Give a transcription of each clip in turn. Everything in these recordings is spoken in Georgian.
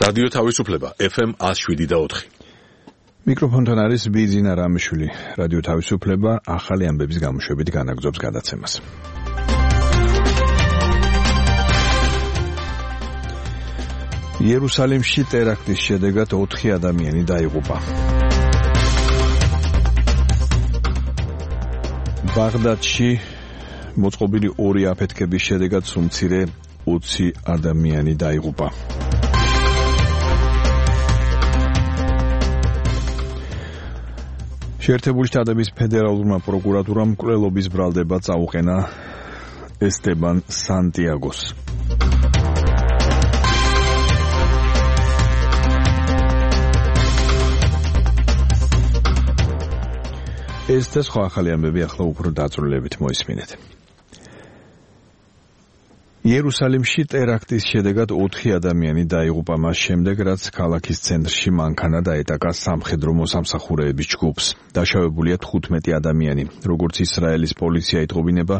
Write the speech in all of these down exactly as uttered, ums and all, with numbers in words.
რადიო თავისუფლება ეფ ემ one oh seven point four. მიკროფონთან არის ბიძინა რამიშვილი. რადიო თავისუფლება ახალი ამბების გამოშვებით განაგრძობს გადაცემას. იერუსალიმში ტერაქტის შედეგად ოთხი ადამიანი დაიღუპა. ბაღდადში მოწყობილი ორი აფეთქების შედეგად სულ მცირე ოცი ადამიანი დაიღუპა. შეერთებული შტატების ფედერალურმა პროკურატურამ მკვლელობის ბრალდება წაუყენა ესტებან სანტიაგოს. ეს და სხვა ახალი ამბები ახლა უფრო დაწვრილებით მოისმინეთ. იერუსალიმში ტერაქტის შედეგად ოთხი ადამიანი დაიღუპა მას შემდეგ, რაც ქალაქის ცენტრში მანქანა დაეტაკა სამხედრო მოსამსახურეების ჯგუფს. დაშავებულია თხუთმეტი ადამიანი. როგორც ისრაელის პოლიცია იტყობინება,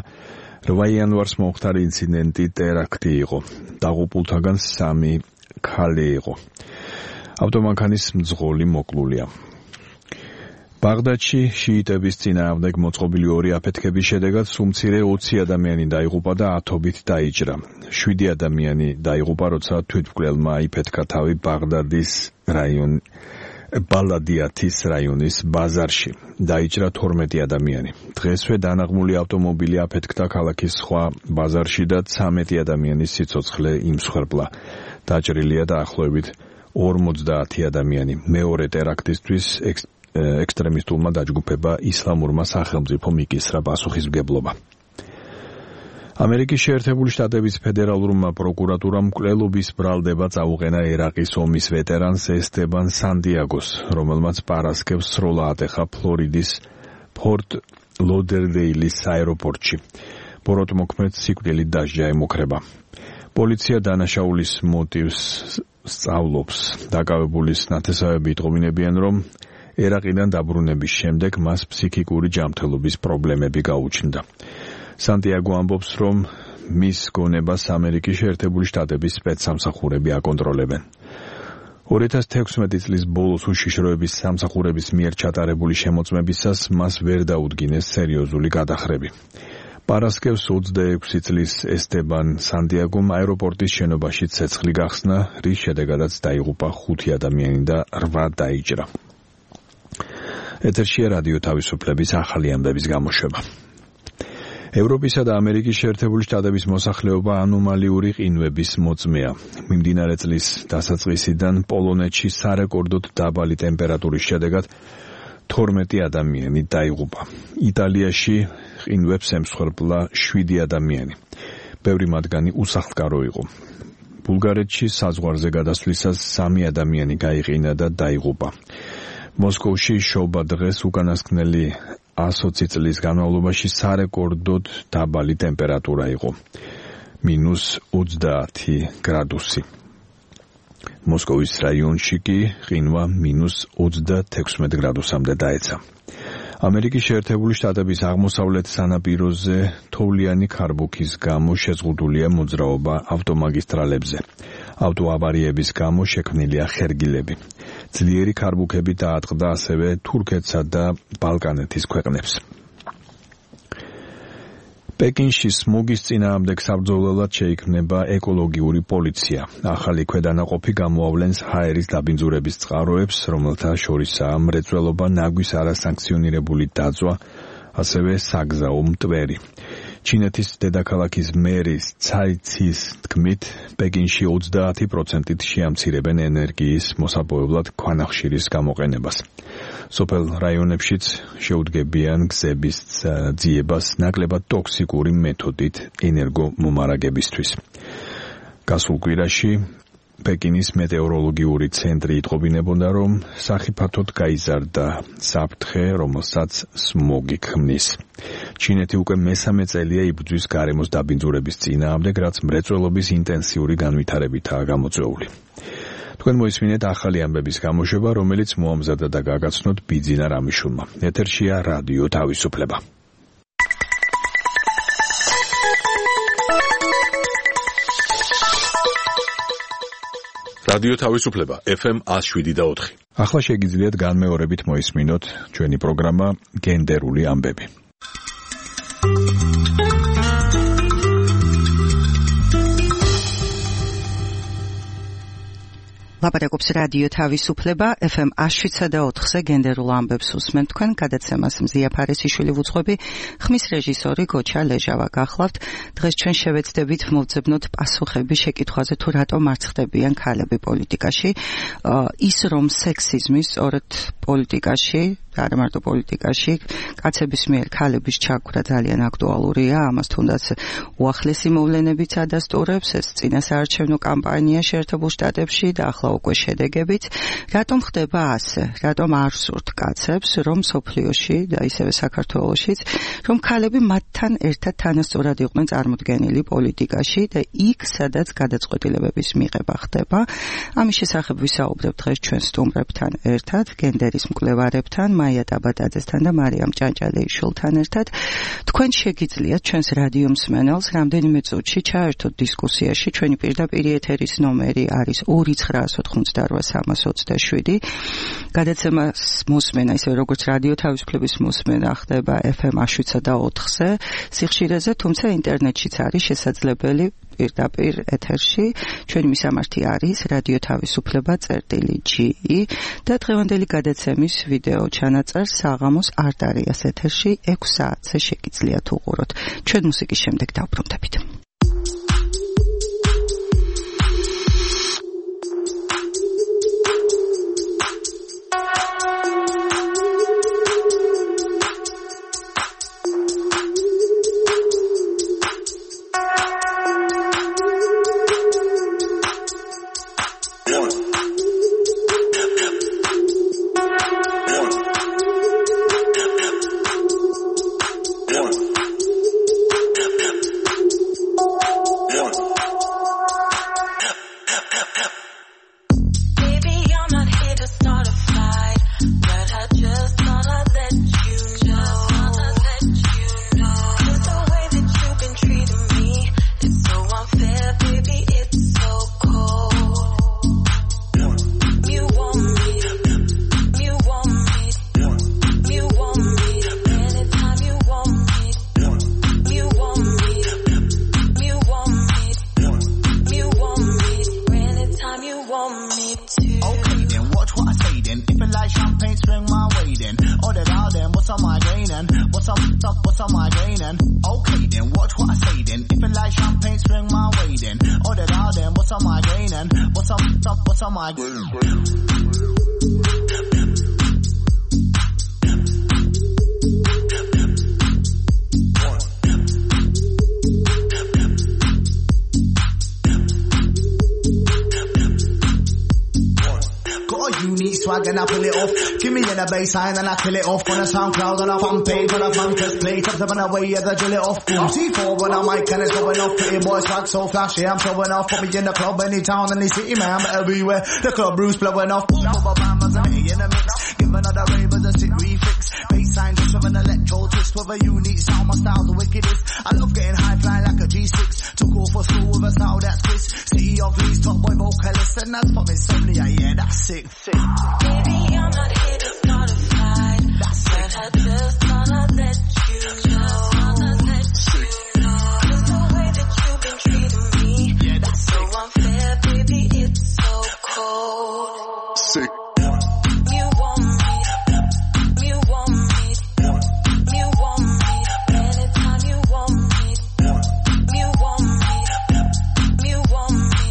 რვა იანვარს მომხდარი ინციდენტი ტერაქტი იყო. დაღუპულთაგან სამი ქალი იყო. ავტომანქანის მძღოლი მოკლულია. ბაღდადში შიიტების წინააღმდეგ მოწყობილი ორი აფეთქების შედეგად სულ მცირე ოცი ადამიანი დაიღუპა და ათობით დაიჭრა. შვიდი ადამიანი დაიღუპა, როცა თვითმკვლელმა იფეთქა თავი ბაღდადის რაიონ ბალადიათის რაიონის ბაზარში. დაიჭრა თორმეტი ადამიანი. დღესვე დანაღმული ავტომობილი აფეთქდა ქალაქის სხვა ბაზარში და ცამეტი ადამიანის სიცოცხლე იმსხვერპლა. დაჭრილია დაახლოებით ორმოცდაათი ადამიანი. მეორე ტერაქტისთვის ექსტრემისტულმა დაჯგუფება ისლამურმა სახელმწიფო მიკისრა პასუხისმგებლობა. ამერიკის შეერთებული შტატების ფედერალურმა პროკურატურამ მკვლელობის ბრალდება წაუყენა ერაყის ომის ვეტერანს ესტებან სანტიაგოს, რომელმაც პარასკევს სროლა ატეხა ფლორიდის ფორტ ლოდერდეილის აეროპორტში. ბოროტმოქმედს სიკვდილით დასჯა ემუქრება. პოლიცია დანაშაულის მოტივს სწავლობს. დაკავებულის ნათესავები იტყობინებიან, რომ ერაყიდან დაბრუნების შემდეგ მას ფსიქიკური ჯანმრთელობის პრობლემები გაუჩნდა. სანტიაგო ამბობს, რომ მის გონებას ამერიკის შეერთებული შტატების სპეცსამსახურები აკონტროლებენ. ორი ათას თექვსმეტი წლის ბოლოს უშიშროების სამსახურების მიერ ჩატარებული შემოწმებისას მას ვერ დაუდგინეს სერიოზული გადახრები. პარასკევს ოცდაექვსი წლის ესტებან სანტიაგომ აეროპორტის შენობაში ცეცხლი გახსნა, რის შედეგადაც დაიღუპა ხუთი ადამიანი და რვა დაიჭრა. ეთერშია რადიო თავისუფლების ახალი ამბების გამოშვება. ევროპისა და ამერიკის შეერთებული შტატების მოსახლეობა ანომალიური ყინვების მოწმეა. მიმდინარე წლის დასაწყისიდან პოლონეთში სარეკორდოდ დაბალი ტემპერატურის შედეგად თორმეტი ადამიანი დაიღუპა. იტალიაში ყინვებს ემსხვერპლა შვიდი ადამიანი. ბევრი მათგანი უსახლკარო იყო. ბულგარეთში საზღვარზე გადასვლისას სამი ადამიანი გაიყინა და დაიღუპა. მოსკოვში შობა დღეს უკანასკნელი ათი წლის განმავლობაში სარეკორდოდ დაბალი ტემპერატურა იყო. მინუს ოცდაათი გრადუსი. მოსკოვის რაიონში კი ყინვა მინუს ოცდათექვსმეტ გრადუსამდე დაეცა. ამერიკის შეერთებული შტატების აღმოსავლეთ სანაპიროზე თოვლიანი ქარბუქის გამო შეზღუდულია მოძრაობა ავტომაგისტრალებზე. ავტოავარიების გამო შექმნილია ხერგილები. ძლიერი ქარბუქები დაატყდა ასევე თურქეთსა და ბალკანეთის ქვეყნებს. პეკინში სმოგის წინააღმდეგ საბრძოლველად შეიქმნება ეკოლოგიური პოლიცია. ახალი ქვედანაყოფი გამოავლენს ჰაერის დაბინძურების წყაროებს, რომელთა შორისაა მრეწველობა, ნაგვის არასანქციონირებული დაწვა, ასევე საგზაო მტვერი. ჩინეთის დედაქალაქის მერის ცაი ცის თქმით, პეკინში ოცდაათი პროცენტით შეამცირებენ ენერგიის მოსაპოვებლად ქვანახშირის გამოყენებას. სოფელ რაიონებშიც შეუდგებიან გზების ძიებას ნაკლებად ტოქსიკური მეთოდით ენერგომომარაგებისთვის. გასულ კვირაში პეკინის მეტეოროლოგიური ცენტრი იტყობინებოდა, რომ სახიფათოდ გაიზარდა საფრთხე, რომელსაც სმოგი ქმნის. ჩინეთი უკვე მესამე წელია იბრძვის გარემოს დაბინძურების წინააღმდეგ, რაც მრეწველობის ინტენსიური განვითარებითაა გამოწვეული. თქვენ მოისმინეთ ახალი ამბების გამოშვება, რომელიც მოამზადა და გაგაცნოთ ბიძინა რამიშვილმა. ეთერშია რადიო თავისუფლება. რადიო თავისუფლება ეფ ემ one oh seven და four. ახლა შეგიძლიათ განმეორებით მოისმინოთ ჩვენი პროგრამა გენდერული ამბები. ლაპარაკობს რადიო თავისუფლება ეფ ემ one oh seven და four-ზე გენდერულ ამბებს უსმენთ თქვენ გადაცემას მზია ფარესიშვილი ვუძღვები ხმის რეჟისორი გოჩა ლეჟავა გახლავთ დღეს ჩვენ შევეცდებით მოვძებნოთ პასუხები შეკითხვაზე თუ რატომ არ ხდებიან ქალები პოლიტიკაში ის რომ სექსიზმის სწორედ პოლიტიკაში არა მარტო პოლიტიკაში კაცების მიერ ქალების ჩაგვრა ძალიან აქტუალურია ამას თუნდაც უახლესი მოვლენებიც ადასტურებს ეს წინასაარჩევნო კამპანია შეერთებულ შტატებში და ახლა უკვე შედეგებით რატომ ხდება ასე რატომ არ სურთ კაცებს რომ სოფლიოში და ისევე საქართველოშიც რომ ქალები მათთან ერთად თანასწორად იყვნენ წარმოდგენილი პოლიტიკაში და იქ სადაც გადაწყვეტილებების მიღება ხდება ამის შესახებ ვისაუბრებთ დღეს ჩვენ სტუმრებთან ერთად გენდერის მკვლევარებთან მაია ტაბატაძესთან და მარიამ ჭანჭალეიშვილთან ერთად თქვენ შეგიძლიათ ჩვენს რადიო მსმენელს რამდენიმე წუთში ჩაერთოთ დისკუსიაში ჩვენი პირდაპირ ეთერის ნომერი არის two nine otkhnut three three seven გადაცემას მოსმენა ისე როგორც რადიო თავისუფლების მოსმენა ხდება ეფ ემ one oh seven და four-ზე სიხშირეზე თუმცა ინტერნეტშიც არის შესაძლებელი პირდაპირ ეთერში ჩვენი მისამართი არის რადიო თავისუფლება წერტილი ჯი და დღევანდელი გადაცემის ვიდეო ჩანაწერს საღამოს არტარიას ეთერში six საათზე შეგიძლიათ უყუროთ ჩვენ მუსიკის შემდეგ დავბრუნდებით And I pull it off. Give me in a baseline and I kill it off. On a SoundCloud and a fan page on a fan test play. Top seven away, yeah, the drill it off. Boom. C four when I mic and it's going off. Pretty boy swag so flashy, I'm showing off. Put me in the club, any town, any city, man, I'm everywhere. The club Bruce blowing off. Boom, boom, bam, as I'm in the mix. Give another ravers a sick refix. Baseline just with an electro twist with a unique sound. My style's the wickedest. I love getting high flying like a G six. Took off for school with a style that's Chris. City of Leeds, top boy vocalist, and that's from insomnia. Yeah, that's sick. sick. Baby, I'm not here to start a fight. That's but I just wanna let you know. Let you know. Just the way that you've been treating me. Yeah, that's so unfair, baby. It's so cold. Sick. You want me. You want me. You want me. Anytime you want me. You want me. You want me.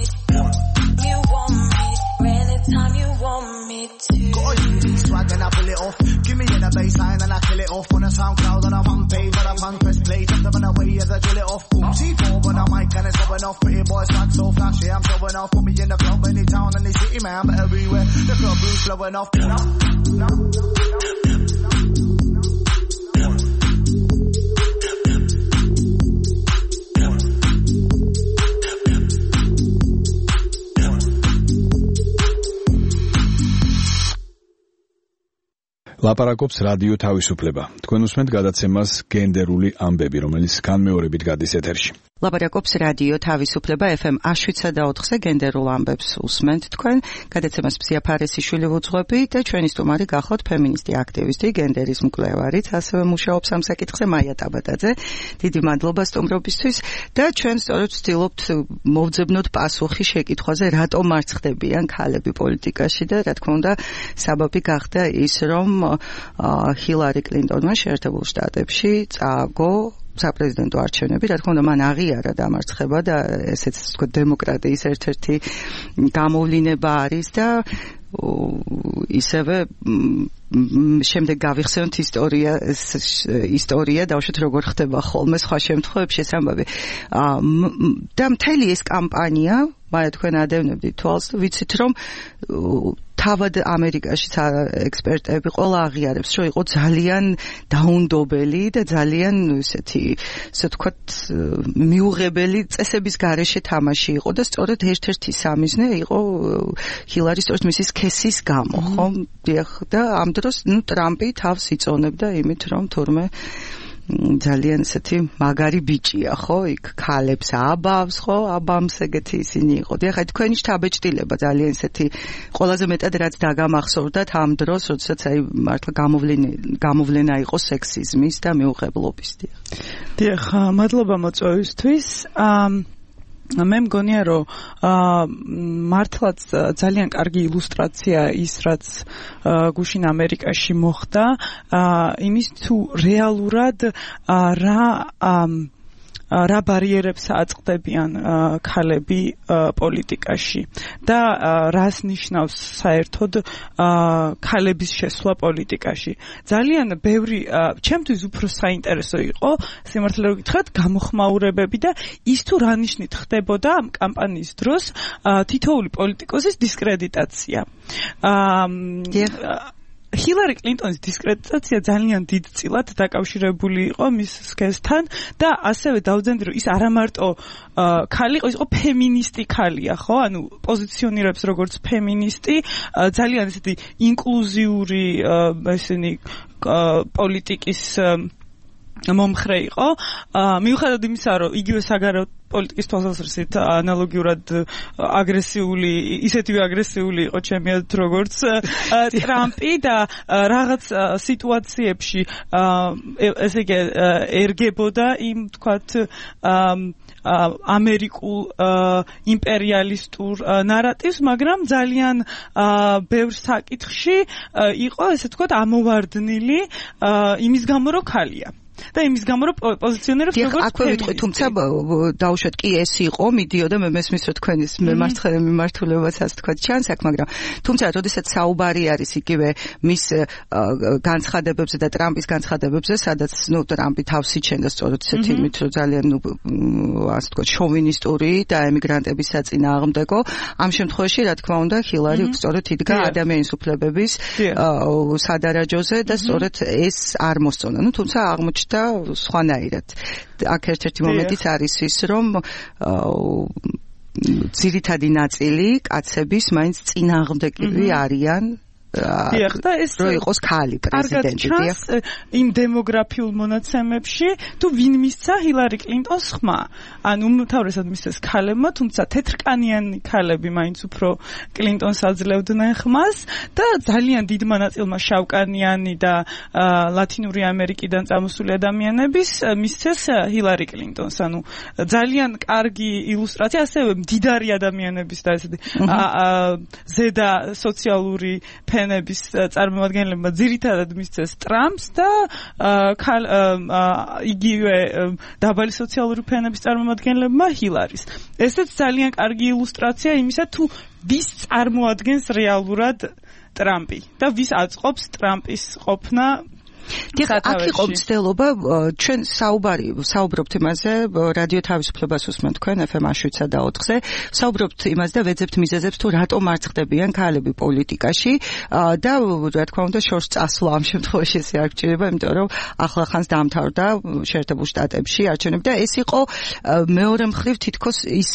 You want me. Anytime you want me to. Got a unique swag and I pull it off. Give me in a baseline and I kill it off. On a SoundCloud and a fan page and a fan press play. Top seven away, yeah, the drill it off. Boom, C four when I mic and it's going off. Pretty boy swag so flashy, I'm showing off. Put me in the club, any town, any city, man, I'm everywhere. The club Bruce blowing off. No, no, no. ლაპარაკობს რადიო თავისუფლება. თქვენ უსმენთ გადაცემას გენდერული ამბები, რომელიც განმეორებით გადის ეთერში. ლაპარაკობს რადიო თავისუფლება ეფ ემ one oh seven point four-ზე გენდერულ ამბებს უსმენთ თქვენ. გადაცემას მზია ფარესიშვილი ვუძღვები და ჩვენი სტუმარი გახლავთ ფემინისტი აქტივისტი, გენდერის მკვლევარიც, ასევე მუშაობს ამ საკითხზე მაია ტაბატაძე. დიდი მადლობა სტუმრობისთვის და ჩვენ სწორედ ვცდილობთ მოვძებნოთ პასუხი შეკითხვაზე, რატომ არ ხდებიან ქალები პოლიტიკაში და რა თქმა უნდა საბაბი გახდა ის, რომ ჰილარი კლინტონმა შეერთებულ შტატებში წააგო საპრეზიდენტო არჩევნები, რა თქმა უნდა მან აღიარა დამარცხება და ესეც თქო დემოკრატიის ერთ-ერთი გამოვლინება არის და ისევე შემდეგ გავიხსენოთ ისტორია ისტორია დავუშვათ როგორ ხდება ხოლმე სხვა შემთხვევებში ეს ამბავი და მთელი ეს კამპანია მაგრამ თქვენ ადევნებდით თვალს და ვიცით რომ თავად ამერიკაში ექსპერტები ყველა აღიარებს რომ იყო ძალიან დაუნდობელი და ძალიან ესეთი ასე ვთქვათ მიუღებელი წესების გარეშე თამაში იყო და სწორედ ერთ-ერთი სამიზნე იყო ჰილარის სწორედ მისი სქესის გამო ხო და ამ დროს ნუ ტრამპი თავს იწონებდა იმით რომ თურმე ძალიან ესეთი მაგარი ბიჭია ხო იქ ქალებს აბავს ხო აბამს ეგეთი ისინი იყო და ხა თქვენი შთაბეჭდილება ძალიან ესეთი ყველაზე მეტად რაც დაგამახსოვრდათ ამ დროს როდესაც აი მართლა გამოვლენა გამოვლენა იყო სექსიზმის და მიუღებლობის დიახ მადლობა მოწვევისთვის მე მგონია რომ მართლაც ძალიან კარგი ილუსტრაცია ის რაც გუშინ ამერიკაში მოხდა იმის თუ რეალურად რა რა ბარიერებს აწყდებიან ქალები პოლიტიკაში და რას ნიშნავს საერთოდ ქალების შესვლა პოლიტიკაში. ძალიან ბევრი ჩემთვის უფრო საინტერესო იყო სიმართლე რომ გითხრათ გამოხმაურებები და ის თუ რა ნიშნით ხდებოდა ამ კამპანიის დროს თითოეული პოლიტიკოსის დისკრედიტაცია. ჰილარი კლინტონის დისკრედიტაცია ძალიან დიდწილად დაკავშირებული იყო მის სქესთან და ასევე დავძენდი რომ ის არა მარტო ქალი იყო, ის იყო ფემინისტი ქალია, ხო? ანუ პოზიციონირებს როგორც ფემინისტი, ძალიან ესეთი ინკლუზიური ესენი პოლიტიკის მომხრე იყო. მიუხედავად იმისა, რომ იგივე საგარეო პოლიტიკის თვალსაზრისით ანალოგიურად აგრესიული, ისეთივე აგრესიული იყო ჩემი აზრით როგორც ტრამპი და რაღაც სიტუაციებში ესე იგი ერგებოდა იმ თქვათ ამერიკულ იმპერიალისტურ ნარატივს, მაგრამ ძალიან ბევრ საკითხში იყო ესე თქვათ ამოვარდნილი იმის გამო რომ ქალია. და იმის გამო რომ პოზიციონერებს როგორც აქვე ვიტყვი, თუმცა დავუშვათ კი ეს იყო, მიდიოდა მე მესმის რომ თქვენის მემარცხენე მიმართულებასაც თქვა ჩანს აქ, მაგრამ თუმცა როდესაც საუბარი არის იგივე მის განცხადებებზე და ტრამპის განცხადებებზე, სადაც ნუ ტრამპი თავს იჩენდა სწორედ ისეთი იმით, რომ ძალიან ნუ ასე თქვა შოვინისტური და ემიგრანტების საწინააღმდეგო, ამ შემთხვევაში რა თქმა უნდა ჰილარი სწორედ იდგა ადამიანის უფლებების სადარაჯოზე და სწორედ ეს არ მოსწონა. ნუ თუმცა აღმოჩნდა და სხვანაირად. აქ ერთ-ერთი მომენტიც არის ის, რომ ძირითადი ნაწილი კაცების მაინც წინააღმდეგები არიან დიახ და ეს რო იყოს ქალი პრეზიდენტი დიახ იმ დემოგრაფიულ მონაცემებში თუ ვინ მისცა ჰილარი კლინტონს ხმა ანუ უმთავრესად მისცეს ქალებმა თუმცა თეთრკანიანი ქალები მაინც უფრო კლინტონს აძლევდნენ ხმას და ძალიან დიდმა ნაწილმა შავკანიანი და ლათინური ამერიკიდან წამოსული ადამიანების მისცეს ჰილარი კლინტონს ანუ ძალიან კარგი ილუსტრაცია ასევე მდიდარი ადამიანების და ესეთი ზედა სოციალური ნების წარმომადგენლებმა ძირითადად მისცეს ტრამპს და იგივე დაბალი სოციალური ფენების წარმომადგენლებმა ჰილარის. ესეც ძალიან კარგი ილუსტრაცია იმისა თუ ვის წარმოადგენს რეალურად ტრამპი და ვის აწყობს ტრამპის ყოფნა დიახ, აქ იყო მცდელობა, ჩვენ საუბარი საუბრობთ იმაზე, რადიო თავისუფლებას უსმენთ თქვენ ეფ ემ შვიდსა და ოთხზე, საუბრობთ იმაზე და ვეძებთ მიზეზებს თუ რატომ არ ხდებიან ქალები პოლიტიკაში და რა თქმა უნდა შორს წასვლა ამ შემთხვევაში ესე არ გჭირდება, იმიტომ რომ ახლახანს დაამთავრდა შეერთებულ შტატებში არჩევნები და ეს იყო მეორე მხრივ თითქოს ის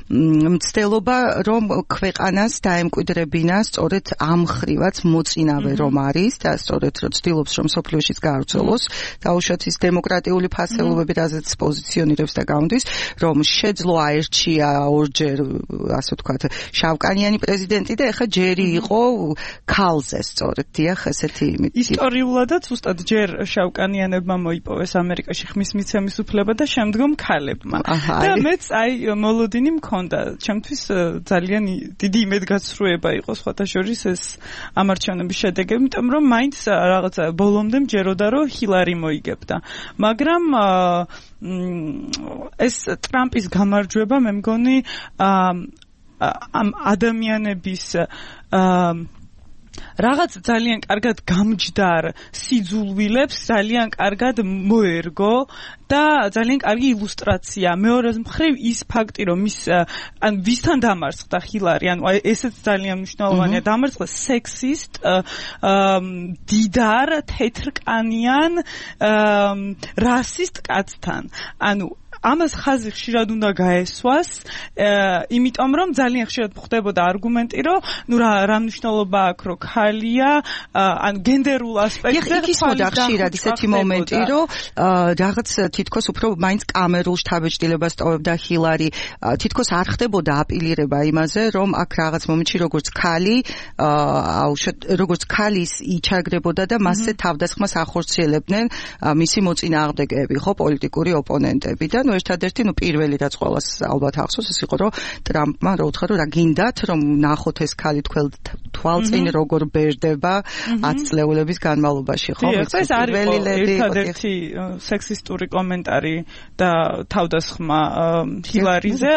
მცდელობა, რომ ქვეყანას დაემკვიდრებინა სწორედ ამ მხრივაც მოწინავე რომ არის და სწორედ რომ ცდილობს რომ მსოფლიოშიც გაავრცელოს დაუშვათ ის დემოკრატიული ფასეულობები, რაზეც პოზიციონირებს და გამდის, რომ შეძლო აერჩია ორჯერ, ასე ვთქვათ, შავკანიანი პრეზიდენტი და ეხლა ჯერი იყო ქალზე, სწორედ, დიახ, ესეთი იმით. ისტორიულადაც უბრალოდ ჯერ შავკანიანებმა მოიპოვეს ამერიკაში ხმის მიცემის უფლება და შემდგომ ქალებმა. და მეც აი მოლოდინი მქონდა, ჩემთვის ძალიან დიდი იმედგაცრუება იყო სხვათა შორის ეს ამარჩევნების შედეგები, იმიტომ რომ მაინც რაღაცა ბოლომდე მჯეროდა რომ ჰილარი მოიგებდა. მაგრამ ეს ტრამპის გამარჯვება მე მგონი ამ ადამიანების რაღაც ძალიან კარგად გამჯდარ სიძულვილებს ძალიან კარგად მოერგო და ძალიან კარგი ილუსტრაცია. მეორე მხრივ ის ფაქტი, რომ ის ან ვისთან დამარცხდა ჰილარი, ანუ ესეც ძალიან მნიშვნელოვანია, დამარცხდა სექსისტ, დიდარ, თეთრკანიან, რასისტ კაცთან. ანუ ამას ხაზი ხშირად უნდა გაესვას, იმიტომ რომ ძალიან ხშირად ხდებოდა არგუმენტი, რომ ნუ რა რა მნიშვნელობა აქვს, რომ ქალია, ან გენდერულ ასპექტზე ხდება ხშირად ისეთი მომენტი, რომ რაღაც თითქოს უფრო მაინც კამერულ შთაბეჭდილებას ტოვებდა ჰილარი, თითქოს არ ხდებოდა აპილირება იმაზე, რომ აქ რაღაც მომენტში როგორც ქალი, როგორც ქალის იჩაგრებოდა და მასზე თავდასხმას ახორციელებდნენ მისი მოწინააღმდეგეები, ხო, პოლიტიკური ოპონენტები და ნუ ერთადერთი ნუ პირველი რაც ყველას ალბათ ახსოვს ეს იყო რომ ტრამპმა რა უთხრა რომ რა გინდათ რომ ნახოთ ეს ქალი თვალწინ როგორ ბერდება ათწლეულების განმავლობაში ხო ეს არის ერთადერთი სექსისტური კომენტარი და თავდასხმა ჰილარიზე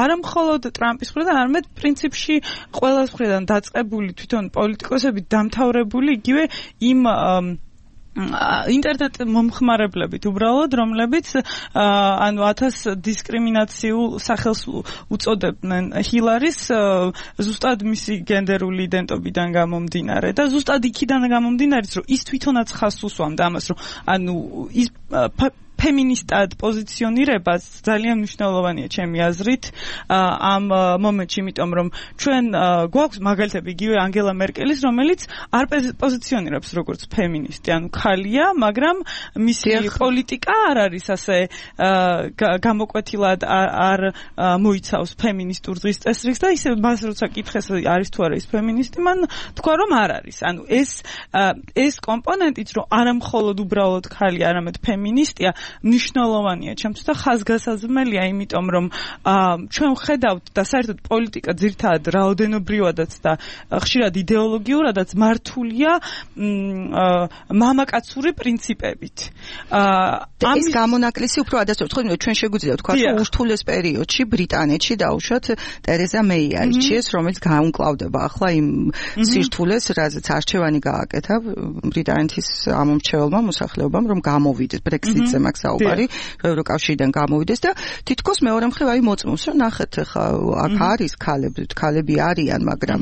არა მხოლოდ ტრამპის მხრიდან არამედ პრინციპში ყველას მხრიდან დაწყებული თვითონ პოლიტიკოსები დამთავრებული იგივე იმ ინტერნეტ მომხმარებლებით უბრალოდ რომლებიც ანუ ათას დისკრიმინაციულ სახელს უწოდებდნენ ჰილარის ზუსტად მისი გენდერული იდენტობიდან გამომდინარე და ზუსტად იქიდან გამომდინარე რომ ის თვითონაც ხაზს უსვამდა ამას რომ ანუ ის ფემინისტად პოზიციონირება ძალიან მნიშვნელოვანია ჩემი აზრით ამ მომენტში, იმიტომ რომ ჩვენ გვაქვს მაგალითები იგივე ანგელა მერკელის, რომელიც არ პოზიციონირებს როგორც ფემინისტი, ანუ ქალია, მაგრამ მისი პოლიტიკა არ არის ასე გამოკვეთილად არ მოიცავს ფემინისტურ დღის წესრიგს და ისე მას როცა კითხეს არის თუ არა ის ფემინისტი, მან თქვა რომ არ არის. ანუ ეს ეს კომპონენტიც რომ არა მხოლოდ უბრალოდ ქალი, არამედ ფემინისტია მნიშვნელოვანია ჩემთვის და ხაზგასაზრდელია, იმიტომ რომ ჩვენ ხედავთ და საერთოდ პოლიტიკა ძირთადად რაოდენობრივადაც და ხშირად იდეოლოგიურადაც მართულია მამაკაცური პრინციპებით. ამის გამონაკლისი უფრო ადასტურებს, ხო, ჩვენ შეგვიძლია ვთქვა, რომ ურთულეს პერიოდში ბრიტანეთში დაუშვათ ტერეზა მეი აირჩიეს, რომელიც გაუმკლავდება ახლა იმ სირთულეს, რაზეც არჩევანი გააკეთა ბრიტანეთის ამომრჩეველმა მოსახლეობამ, რომ გამოვიდეს ბრექსიტზე მაგ საუბარი, რომ ევროკავშირიდან გამოვიდეს და თითქოს მეორე მხრივ აი მოწმობს, რომ ნახეთ, ხა აქ არის ქალები, ქალები არიან, მაგრამ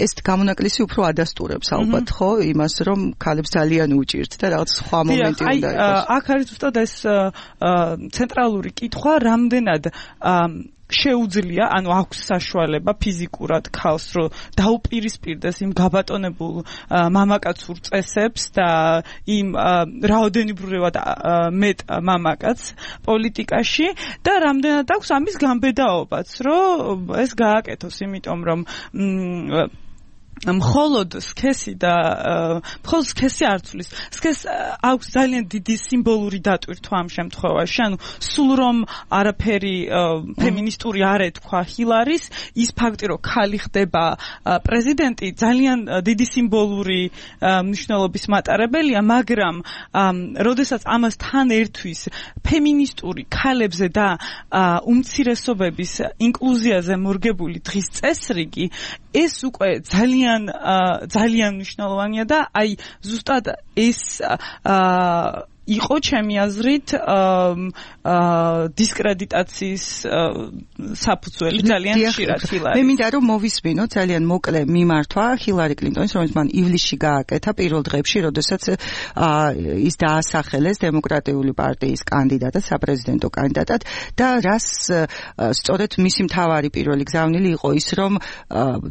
ეს გამონაკლისი უფრო ადასტურებს ალბათ, ხო, იმას, რომ ქალებს ძალიან უჭირთ და რაღაც სხვა მომენტი უნდა იყოს. აქ არის ზუსტად ეს ცენტრალური კითხვა, რამდენად შეუძლია, ანუ აქვს საშუალება ფიზიკურად ქალს, რომ დაუპირისპირდეს იმ გაბატონებულ მამაკაცურ წესებს და იმ რაოდენობრივად მეტ მამაკაცს პოლიტიკაში და რამდენად აქვს ამის გამბედაობაც, რომ ეს გააკეთოს, იმიტომ რომ მხოლოდ სქესი და მხოლოდ სქესი არ ცვლის. სქეს აქვს ძალიან დიდი სიმბოლური დატვირთვა ამ შემთხვევაში. ანუ სულ რომ არაფერი ფემინისტური არ ეთქვა ჰილარის, ის ფაქტი რომ ქალი ხდება პრეზიდენტი ძალიან დიდი სიმბოლური მნიშვნელობის მატარებელია, მაგრამ როდესაც ამას თან ერთვის ფემინისტური ქალებზე და უმცირესობების ინკლუზიაზე მორგებული დღის წესრიგი, ეს უკვე ძალიან ძალიან მნიშვნელოვანია და აი ზუსტად ეს იყო ჩემი აზრით დისკრედიტაციის საფუძველი ძალიან ხშირად ჰილარი. მე მინდა რომ მოვისმინოთ ძალიან მოკლე მიმართვა ჰილარი კლინტონის, რომელიც მან ივლისში გააკეთა პირველ დღეებში, როდესაც ის დაასახელეს დემოკრატიული პარტიის კანდიდატად, საპრეზიდენტო კანდიდატად და რას სწორედ მისი მთავარი პირველი გზავნილი იყო ის, რომ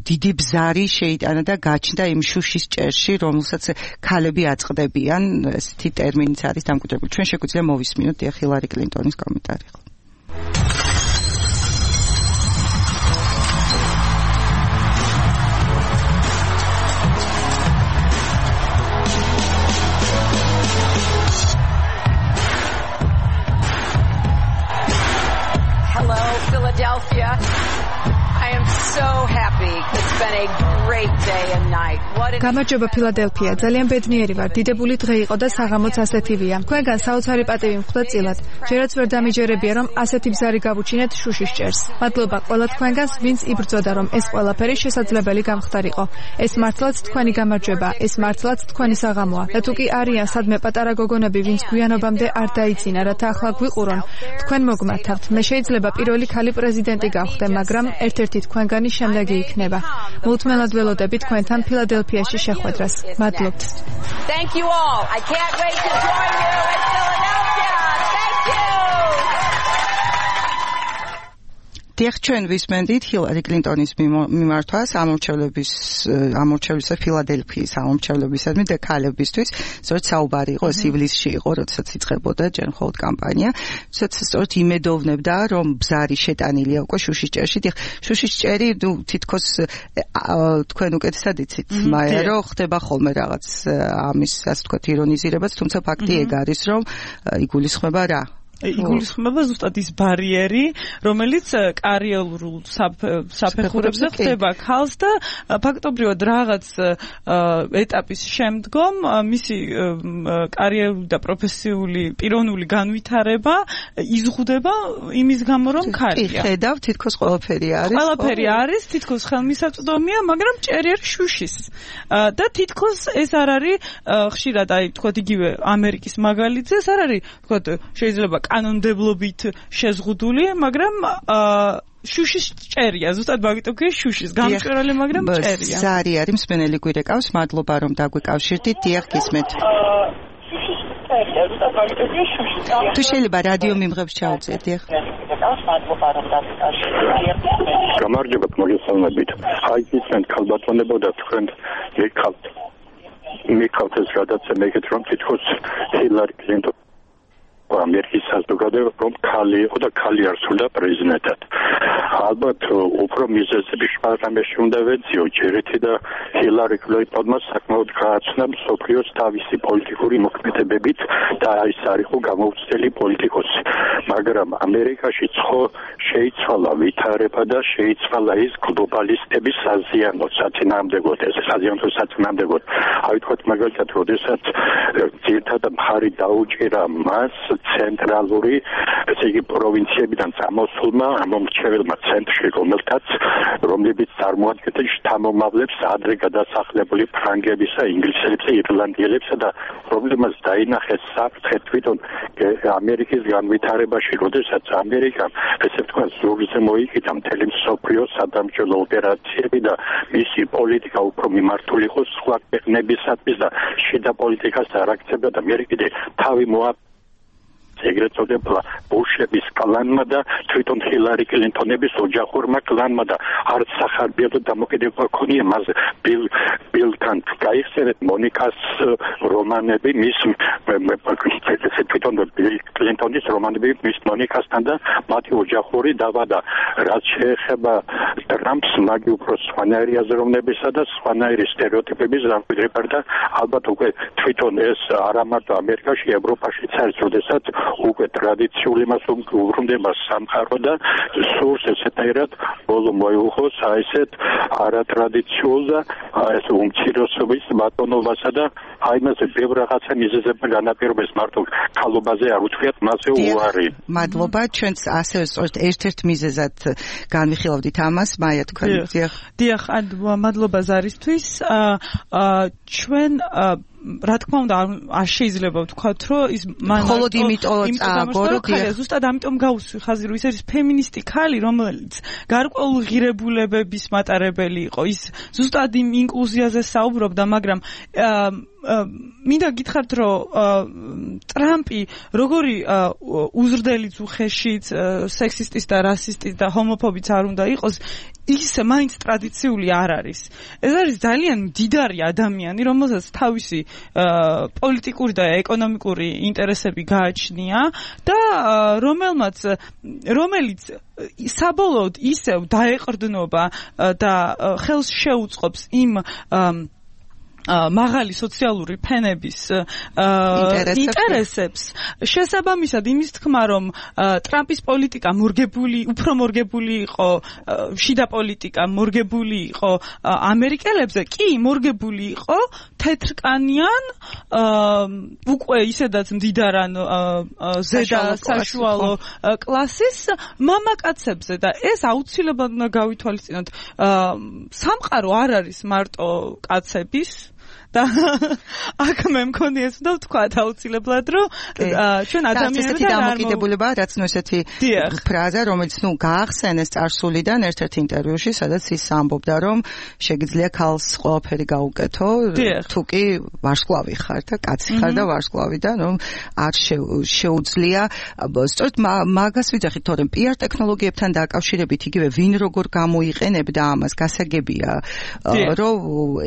დიდი ბზარი შეიტანა და გაჩნდა იმ შუშის ჭერში, რომელსაც ქალები აწყდებიან, ესეთი ტერმინიც არის დამკვიდრებული. ჩვენ შეგვიძლია მოვისმინოთ დიახ ჰილარი კლინტონის კომენტარი. Hello, Philadelphia. I am so happy. It's been a great day and night. What გამარჯობა ფილადელფია. ძალიან ბედნიერი ვარ. დიდებული დღე იყო და საღამოც ასეთივია. თქვენგან საოცარი პატივი მხვდა წილად. ჯერაც ვერ დამიჯერებია რომ ასეთი ბზარი გავუჩინეთ შუშის ჭერს. მადლობა ყველა თქვენგანს, ვინც იბრძოდა რომ ეს ყველაფერი შესაძლებელი გამხდარიყო. ეს მართლაც თქვენი გამარჯვება, ეს მართლაც თქვენი საღამოა. და თუ კი არიან სადმე პატარა გოგონები, ვინც გვიანობამდე არ დაიძინა, რათა ახლა გვიყურონ, თქვენ მოგმართავთ. მე შეიძლება პირველი ქალი პრეზიდენტი გავხდე, მაგრამ ერთ-ერთი თქვენგანი შემდეგი იქნება. მოუთმენლად ველოდები თქვენთან ფილადელფიაში შეხვედრას. მადლობთ. Thank you all. I can't wait to join you in Philadelphia. Thank you. დიახ, ჩვენ ვისმენდით ჰილარი კლინტონის მიმართვას ამორჩევლების ამორჩევლისა ფილადელფიის ამორჩევლებისადმი და ქალებისთვის, სწორედ საუბარი იყო ეს ივლისში იყო, როდესაც იწყებოდა ჯერ მხოლოდ კამპანია, როდესაც სწორედ იმედოვნებდა, რომ ბზარი შეტანილია უკვე შუშის ჭერში. დიახ, შუშის ჭერი, ნუ თითქოს თქვენ უკეთესად იცით, მაია, რომ ხდება ხოლმე რაღაც ამის, ასე ვთქვათ, ირონიზირებაც, თუმცა ფაქტი ეგ არის, რომ იგულისხმება რა? იგულისხმება ზუსტად ის ბარიერი, რომელიც კარიერულ საფეხურებზე ხდება ქალს და ფაქტობრივად რაღაც ეტაპის შემდგომ მისი კარიერული და პროფესიული პიროვნული განვითარება იზღუდება იმის გამო, რომ ქალია. კი, ხედავ, თითქოს ყველაფერი არის. ყველაფერი არის, თითქოს ხელმისაწვდომია, მაგრამ ჭერი არის შუშის. და თითქოს ეს არ არის ხშირად, აი, თქვათ იგივე ამერიკის მაგალითზე, ეს არ არის, თქვათ, შეიძლება კანონმდებლობით შეზღუდული, მაგრამ შუშის ჭერია, ზუსტად მაგიტომ კი შუშის გამჭვირვალე, მაგრამ ჭერია. ზარი არის მსმენელი გვირეკავს, მადლობა რომ დაგვიკავშირდით. დიახ, გისმენთ. თუ შეიძლება რადიო მიმღებს ჩაუწიეთ, დიახ. გამარჯობა, მოგესალმებით. აი, გისმენთ ქალბატონებო და თქვენ მეკავთ. მეკავთ ეს რადაცა მეკეთ რომ თითქოს ჰილარი კლინტონი ამერიკის საზოგადოება რომ ქალი იყო და ქალი არ სურდა პრეზიდენტად. ალბათ უფრო მიზეზები შპარდამეში უნდა ვეციო, ჯერეთი და ჰილარი კლინტონმა საკმაოდ გააცნა მსოფლიოს თავისი პოლიტიკური მოქმედებებით და ის არ იყო გამოუცდელი პოლიტიკოსი. მაგრამ ამერიკაში ცხო შეიცვალა ვითარება და შეიცვალა ის გლობალისტების საზიანო საწინააღმდეგოდ, ეს საზიანო საწინააღმდეგოდ. აი თქვათ მაგალითად, როდესაც ძირითადად მხარი დაუჭირა მას ცენტრალური, ესე იგი პროვინციებიდან წამოსულმა ამომრჩეველმა ცენტრში, რომელთაც რომლებიც წარმოადგენდა შთამომავლებს ადრე გადასახლებული ფრანგებისა, ინგლისელებსა, ირლანდიელებსა და პრობლემას დაინახეს საფრთხე თვითონ ამერიკის განვითარებაში, როდესაც ამერიკამ, ესე ვთქვათ, ზურგზე მოიკიდა მთელი მსოფლიოს სადამჭირო ოპერაციები და მისი პოლიტიკა უფრო მიმართული იყო სხვა ქვეყნებისათვის და შიდა პოლიტიკას არ აქცევდა და მე კიდე თავი მოა ეგრეთ წოდებულა ბუშების კლანმა და თვითონ ჰილარი კლინტონების ოჯახურმა კლანმა და არც სახარბია და დამოკიდებულება ქონია მას ბილ ბილთან გაიხსენეთ მონიკას რომანები მის თვითონ ბილ კლინტონის რომანები მის მონიკასთან და მათი ოჯახური დავა და რაც შეეხება ტრამპს მაგი უფრო სხვანაირი აზროვნებისა და სხვანაირი სტერეოტიპების დამკვიდრება და ალბათ უკვე თვითონ ეს არა მარტო ამერიკაში, ევროპაშიც არის, როდესაც უკვე ტრადიციული მას უბრუნდება სამყარო და სურს ესეთაირად ბოლო მოიუხოს აი ესეთ არატრადიციულ და ეს უმცირესობის ბატონობასა და აი მასე ბევრ რაღაცა მიზეზებმა განაპირობეს მარტო ქალობაზე არ უთქვიათ მასე უარი. მადლობა, ჩვენც ასევე სწორედ ერთ-ერთ მიზეზად განვიხილავდით ამას, მაია თქვენ. დიახ, მადლობა ზარისთვის. ჩვენ რა თქმა უნდა არ შეიძლება ვთქვათ, რომ ის მან მხოლოდ იმიტომ წააგო, რომ ზუსტად ამიტომ გავუსვი ხაზი, რომ ის არის ფემინისტი ქალი, რომელიც გარკვეულ ღირებულებების მატარებელი იყო. ის ზუსტად იმ ინკლუზიაზე საუბრობდა, მაგრამ მინდა გითხრათ, რომ ტრამპი როგორი უზრდელი უხეშიც, სექსისტის და რასისტის და ჰომოფობიც არ უნდა იყოს, ის მაინც ტრადიციული არ არის. ეს არის ძალიან მდიდარი ადამიანი, რომელსაც თავისი პოლიტიკური და ეკონომიკური ინტერესები გააჩნია და რომელმაც რომელიც საბოლოოდ ისევ დაეყრდნობა და ხელს შეუწყობს იმ მაღალი სოციალური ფენების ინტერესებს. შესაბამისად იმის თქმა, რომ ტრამპის პოლიტიკა მორგებული, უფრო მორგებული იყო, შიდა პოლიტიკა მორგებული იყო ამერიკელებზე, კი მორგებული იყო თეთრკანიან უკვე ისედაც მდიდარან ზედა საშუალო კლასის მამაკაცებზე და ეს აუცილებლად უნდა გავითვალისწინოთ. სამყარო არ არის მარტო კაცების და აქ მე მქონი ეს უნდა ვთქვა აუცილებლად, რომ ჩვენ ადამიანები და დამოკიდებულება, რაც ნუ ესეთი ფრაზა, რომელიც ნუ გაახსენეს წარსულიდან ერთ-ერთ ინტერვიუში, სადაც ის ამბობდა, რომ შეგიძლია ქალს ყველაფერი გაუკეთო, თუ კი ვარსკვლავი ხარ და კაცი ხარ და ვარსკვლავი და რომ არ შეუძლია. სწორედ მაგას ვიძახით, თორემ პიარ ტექნოლოგიებთან დაკავშირებით იგივე ვინ როგორ გამოიყენებდა ამას, გასაგებია, რომ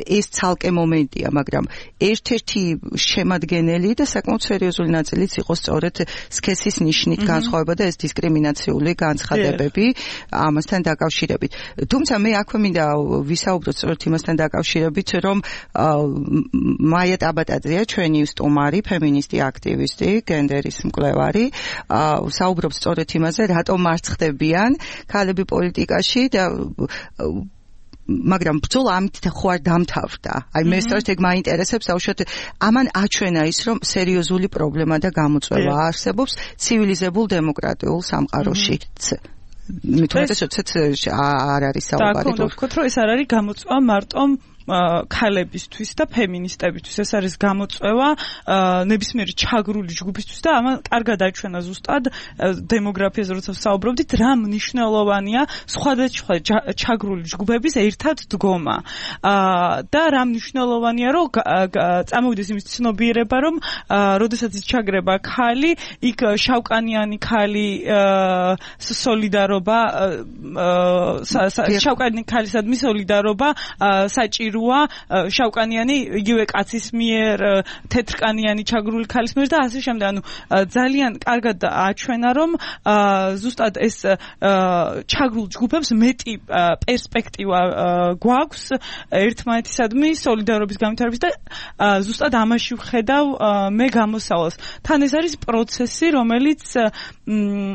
ეს ცალკე მომენტია, მაგრამ ერთ-ერთი შემადგენელი და საკმაოდ სერიოზული ნაწილიც იყო სწორედ სქესის ნიშნით განსხვავება და ეს დისკრიმინაციული განცხადებები ამასთან დაკავშირებით. თუმცა მე აქვე მინდა ვისაუბროთ სწორედ იმასთან დაკავშირებით, რომ მაია ტაბატაძეა ჩვენი სტუმარი, ფემინისტი აქტივისტი, გენდერის მკვლევარი, საუბრობს სწორედ იმაზე, რატომ არ ხდებიან ქალები პოლიტიკაში და მაგრამ ბრძოლა ამით ხო არ დამთავრდა. აი მე სწორედ ეგ მაინტერესებს, აუშვათ ამან აჩვენა ის, რომ სერიოზული პრობლემა და გამოწვევა არსებობს ცივილიზებულ დემოკრატიულ სამყაროში. მithumetes როდესაც არ არის საუბარი. და ვთქვათ, რომ ეს არ არის გამოწვევა მარტო ქალებისთვის და ფემინისტებისთვის, ეს არის გამოწვევა ნებისმიერი ჩაგრული ჯგუფისთვის და ამან კარგად აჩვენა ზუსტად დემოგრაფიაზე, როცა საუბრობდით, რა მნიშვნელოვანია სხვადასხვა ჩაგრული ჯგუფების ერთად დგომა და რა მნიშვნელოვანია, რომ წამოვიდეს იმის ცნობიერება, რომ როდესაც ის ჩაგრება ქალი, იქ შავკანიანი ქალი სოლიდარობა შავკანიანი ქალისადმი სოლიდარობა საჭირო შავკანიანი იგივე კაცის მიერ, თეთრკანიანი ჩაგრული ქალის მიერ და ასე შემდეგ. ანუ ძალიან კარგად აჩვენა, რომ ზუსტად ეს ჩაგრულ ჯგუფებს მეტი პერსპექტივა გვაქვს ერთმანეთისადმი სოლიდარობის განვითარების და ზუსტად ამაში ვხედავ მე გამოსავალს. თან ეს არის პროცესი, რომელიც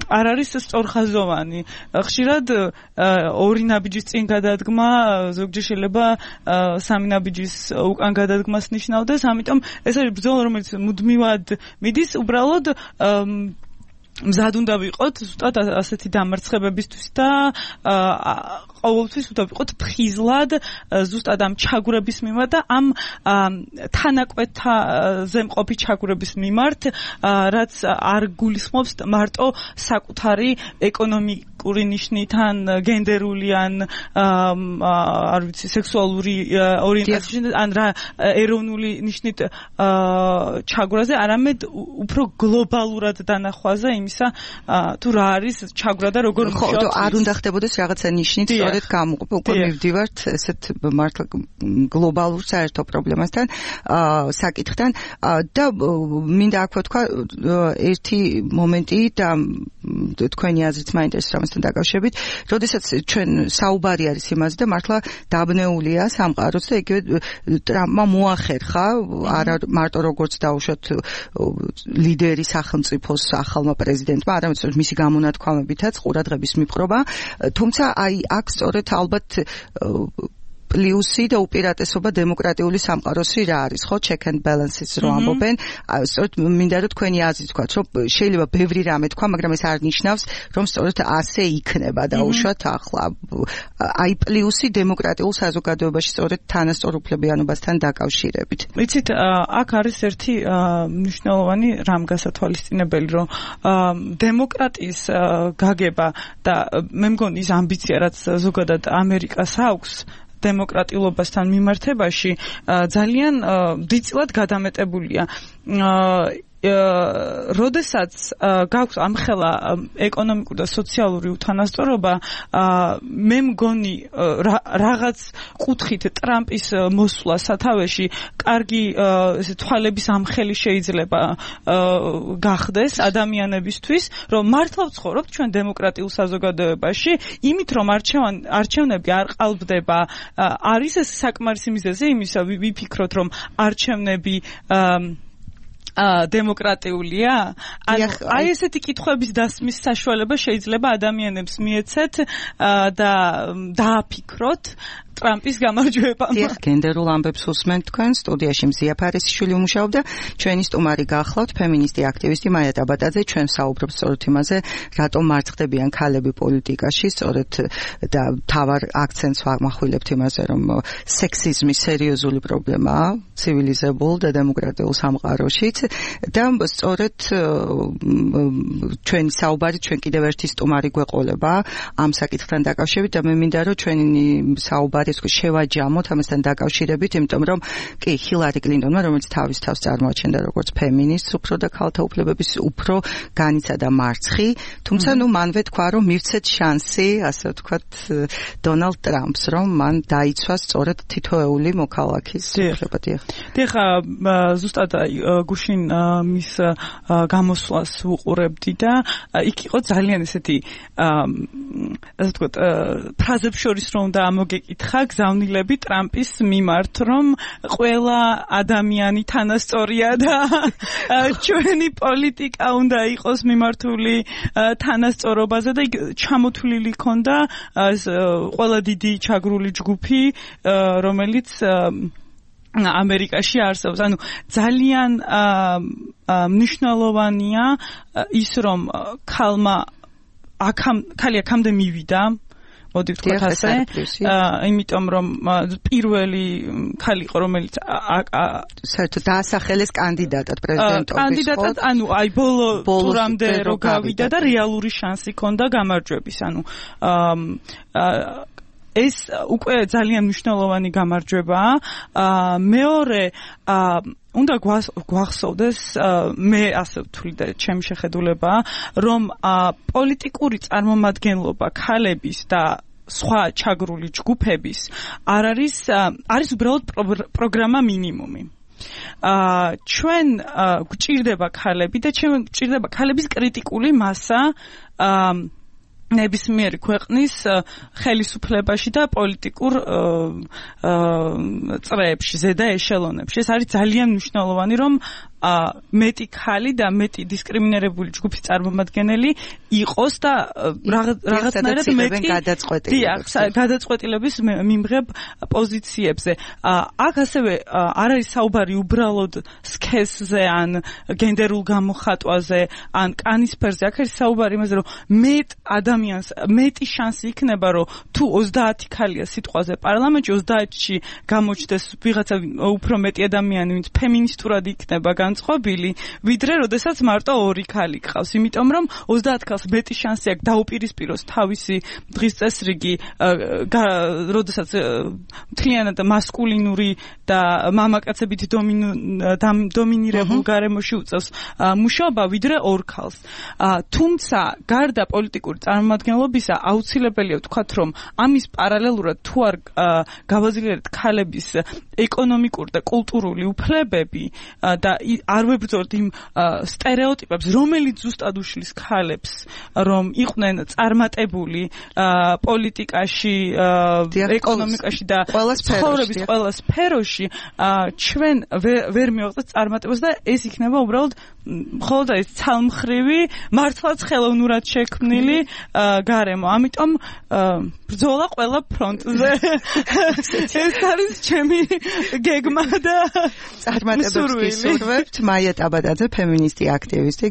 არ არის სწორხაზოვანი. ხშირად ორი ნაბიჯის წინ გადადგმა ზოგჯერ შეიძლება სამი ნაბიჯის უკან გადადგმას ნიშნავდეს, ამიტომ ეს არის ბრძოლა, რომელიც მუდმივად მიდის, უბრალოდ მზად უნდა ვიყოთ ზუსტად ასეთი დამარცხებებისთვის და ყოველთვის უნდა ვიყოთ ფხიზლად ზუსტად ამ ჩაგვრების მიმართ და ამ თანაკვეთაზე მყოფი ჩაგვრების მიმართ, რაც არ გულისხმობს მარტო საკუთარი ეკონომიკური ნიშნით ან გენდერული ან არ ვიცი სექსუალური ორიენტაციის ან რა ეროვნული ნიშნით ჩაგვრაზე, არამედ უფრო გლობალურად დანახვაზე იმისა თუ რა არის ჩაგვრა და როგორ მუშაობს. ხო, არ უნდა ხდებოდეს რაღაცა ნიშნით სწორედ გამოყოფა. უკვე მივდივართ ესეთ მართლა გლობალურ საერთო პრობლემასთან, საკითხთან და მინდა აქვე თქვა ერთი მომენტი და თქვენი აზრით მაინტერესებს ამასთან დაკავშირებით, როდესაც ჩვენ საუბარი არის იმაზე და მართლა დაბნეულია სამყაროც და იგივე ტრამპმა მოახერხა არა მარტო როგორც დაუშვათ ლიდერი სახელმწიფოს ახალმა პრეზიდენტმა, არამედ მისი გამონათქვამებითაც ყურადღების მიპყრობა, თუმცა აი აქ სწორედ ალბათ პლუსი და უპირატესობა დემოკრატიული სამყაროსი რა არის, ხო, check and balances რო ამბობენ. სწორედ მინდა რომ თქვენი აზრი თქვათ, რომ შეიძლება ბევრი რამე თქვა, მაგრამ ეს არ ნიშნავს, რომ სწორედ ასე იქნება დაუშვათ ახლა. აი პლუსი დემოკრატიულ საზოგადოებაში სწორედ თანასწორუფლებიანობასთან დაკავშირებით. ვიცით, აქ არის ერთი მნიშვნელოვანი რამ გასათვალისწინებელი, რომ დემოკრატიის გაგება და მე მგონი ის ამბიცია, რაც ზოგადად ამერიკას აქვს დემოკრატიულობასთან მიმართებაში ძალიან დიდწილად გადამეტებულია. როდესაც გაქვს ამხელა ეკონომიკური და სოციალური უთანასწორობა, მე მგონი რაღაც კუთხით ტრამპის მოსვლა სათავეში კარგი თვალების ამხელი შეიძლება გახდეს ადამიანებისთვის, რომ მართლა ვცხოვრობთ ჩვენ დემოკრატიულ საზოგადოებაში, იმით რომ არჩევნები არ ყალბდება, არის ეს საკმარისი მიზეზი იმისა, ვიფიქროთ, რომ არჩევნები დემოკრატიულია? აი ესეთი კითხვების დასმის საშუალება შეიძლება ადამიანებს მიეცეთ და დააფიქროთ ტრამპის გამარჯვება. დიახ, გენდერულ ამბებს უსმენთ თქვენ. სტუდიაში მზია ფარისიშვილი უმუშაობდა, ჩვენი სტუმარი გახლავთ ფემინისტი აქტივისტი მაია ტაბატაძე. ჩვენ საუბრობთ სწორედ იმაზე, რატომ მარცხდებიან ქალები პოლიტიკაში, სწორედ და თავარ აქცენტს ვამახვილებთ იმაზე, რომ სექსიზმი სერიოზული პრობლემაა ცივილიზებულ და დემოკრატიულ სამყაროშიც და სწორედ ჩვენი საუბარი, ჩვენ კიდევ ერთი სტუმარი გვეყოლება ამ საკითხთან დაკავშირებით და მე მინდა რომ ჩვენი საუბარი შევაჯამოთ ამასთან დაკავშირებით, იმიტომ რომ კი ჰილარი კლინტონმა, რომელიც თავის თავს წარმოაჩენდა როგორც ფემინისტს, უფრო და ქალთა უფლებების უფრო განიცადა მარცხი, თუმცა ნუ მანვე თქვა, რომ მივცეთ შანსი, ასე ვთქვათ, დონალდ ტრამპს, რომ მან დაიცვა სწორედ თითოეული მოქალაქის უფლება. დიახ, ზუსტად გუშინ მის გამოსვლას ვუყურებდი და იქ იყო ძალიან ესეთი ასე ვთქვათ, ფრაზებს შორის რომ უნდა ამოგეკითხა გზავნილები ტრამპის მიმართ, რომ ყველა ადამიანი თანასწორია და ჩვენი პოლიტიკა უნდა იყოს მიმართული თანასწორობაზე და ჩამოთვლილი ქონდა ყველა დიდი ჩაგრული ჯგუფი, რომელიც ამერიკაში არსებობს. ანუ ძალიან მნიშვნელოვანია ის, რომ ქალმა აქამ ქალი აქამდე მივიდა, მოდი ვთქვათ ასე, იმიტომ რომ პირველი ქალი იყო, რომელიც საერთოდ დაასახელეს კანდიდატად პრეზიდენტობის. კანდიდატად, ანუ აი ბოლო ტურამდე რო გავიდა და რეალური შანსი ჰქონდა გამარჯვების. ანუ ეს უკვე ძალიან მნიშვნელოვანი გამარჯვებაა. მეორე უნდა გვახსოვდეს, მე ასე ვთვლი და ჩემი შეხედულებაა, რომ პოლიტიკური წარმომადგენლობა ქალების და სხვა ჩაგრული ჯგუფების არ არის არის უბრალოდ პროგრამა მინიმუმი. ჩვენ გვჭირდება ქალები და ჩვენ გვჭირდება ქალების კრიტიკული მასა ნებისმიერი ქვეყნის ხელისუფლებაში და პოლიტიკურ წრეებში, ზედა ეშელონებში. ეს არის ძალიან მნიშვნელოვანი, რომ მეტი ქალი და მეტი დისკრიმინირებული ჯგუფის წარმომადგენელი იყოს და რაღაცნაირად მეტი გადაწყვეტილების მიმღებ პოზიციებზე. აქ ასევე არ არის საუბარი უბრალოდ სქესზე ან გენდერულ გამოხატვაზე ან კანისფერზე. აქ არის საუბარი იმაზე, რომ მეტ ადამიანს მეტი შანსი იქნება, რომ თუ ოცდაათი ქალია სიტყვაზე პარლამენტში, ოცდაათში გამოჩნდეს ვიღაცა უფრო მეტი ადამიანი, ვინც ფემინისტურად იქნება განწყობილი, ვიდრე როდესაც მარტო ორი ქალი გყავს, იმიტომ რომ ოცდაათ ქალს მეტი შანსი აქვს დაუპირისპიროს თავისი დღის წესრიგი, როდესაც მთლიანად მასკულინური და მამაკაცებით დომინირებულ გარემოში უწევს მუშაობა, ვიდრე ორ ქალს. თუმცა გარდა პოლიტიკური წარმომადგენლობისა, აუცილებელია ვთქვათ, რომ ამის პარალელურად თუ არ გავაზრდეთ ქალების ეკონომიკური და კულტურული უფლებები და არ ვებრძოლთ იმ სტერეოტიპებს, რომელიც ზუსტად უშლის ქალებს, რომ იყვნენ წარმატებული პოლიტიკაში, ეკონომიკაში და ცხოვრების ყველა სფეროში, ჩვენ ვერ მივაღწევთ წარმატებას და ეს იქნება უბრალოდ მხოლოდ ეს ცალმხრივი მართლაც ხელოვნურად შექმნილი გარემო. ამიტომ ბრძოლა ყველა ფრონტზე. ეს არის ჩემი გეგმა და წარმატებებს გისურვებთ. მაია ტაბადაძე, ფემინისტი აქტივისტი,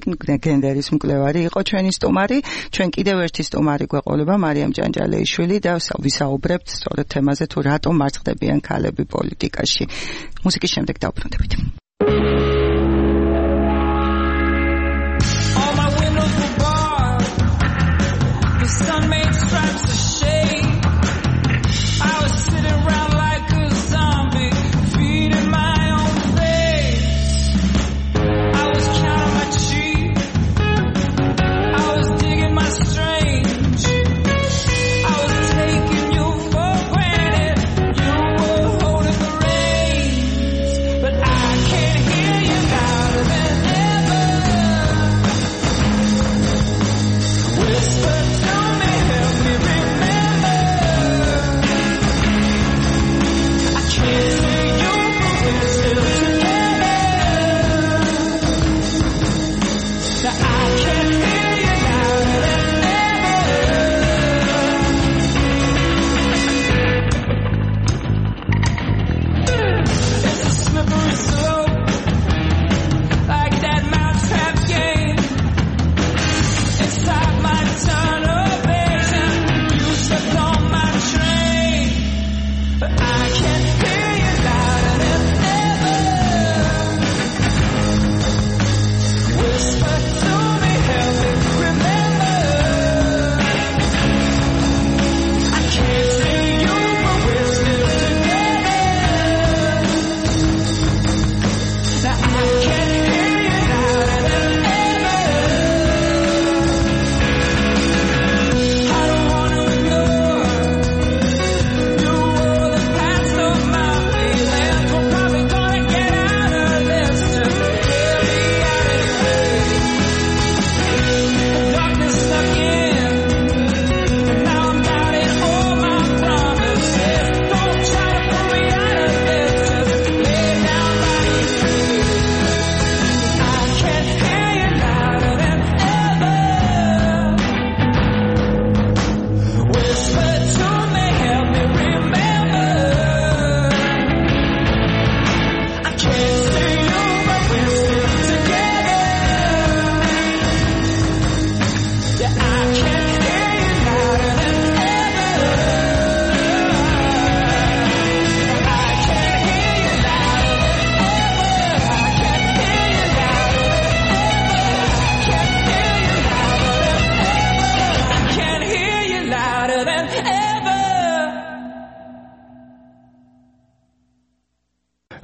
გენდერის მკვლევარი იყო ჩვენი სტუმარი. ჩვენ კიდევ ერთი სტუმარი გვეყოლება, მარიამ ჭანჭალეიშვილი და ვისაუბრებთ სწორედ თემაზე თუ რატომ მარცხდებიან ქალები პოლიტიკაში. მუსიკის შემდეგ დავბრუნდებით. Sun made stripes of shade. I was sitting around like a zombie, feeding my own face. I was counting my sheep. I was digging my strange. I was taking you for granted. You were holding the reins, but I can't hear you louder than ever. Whisper.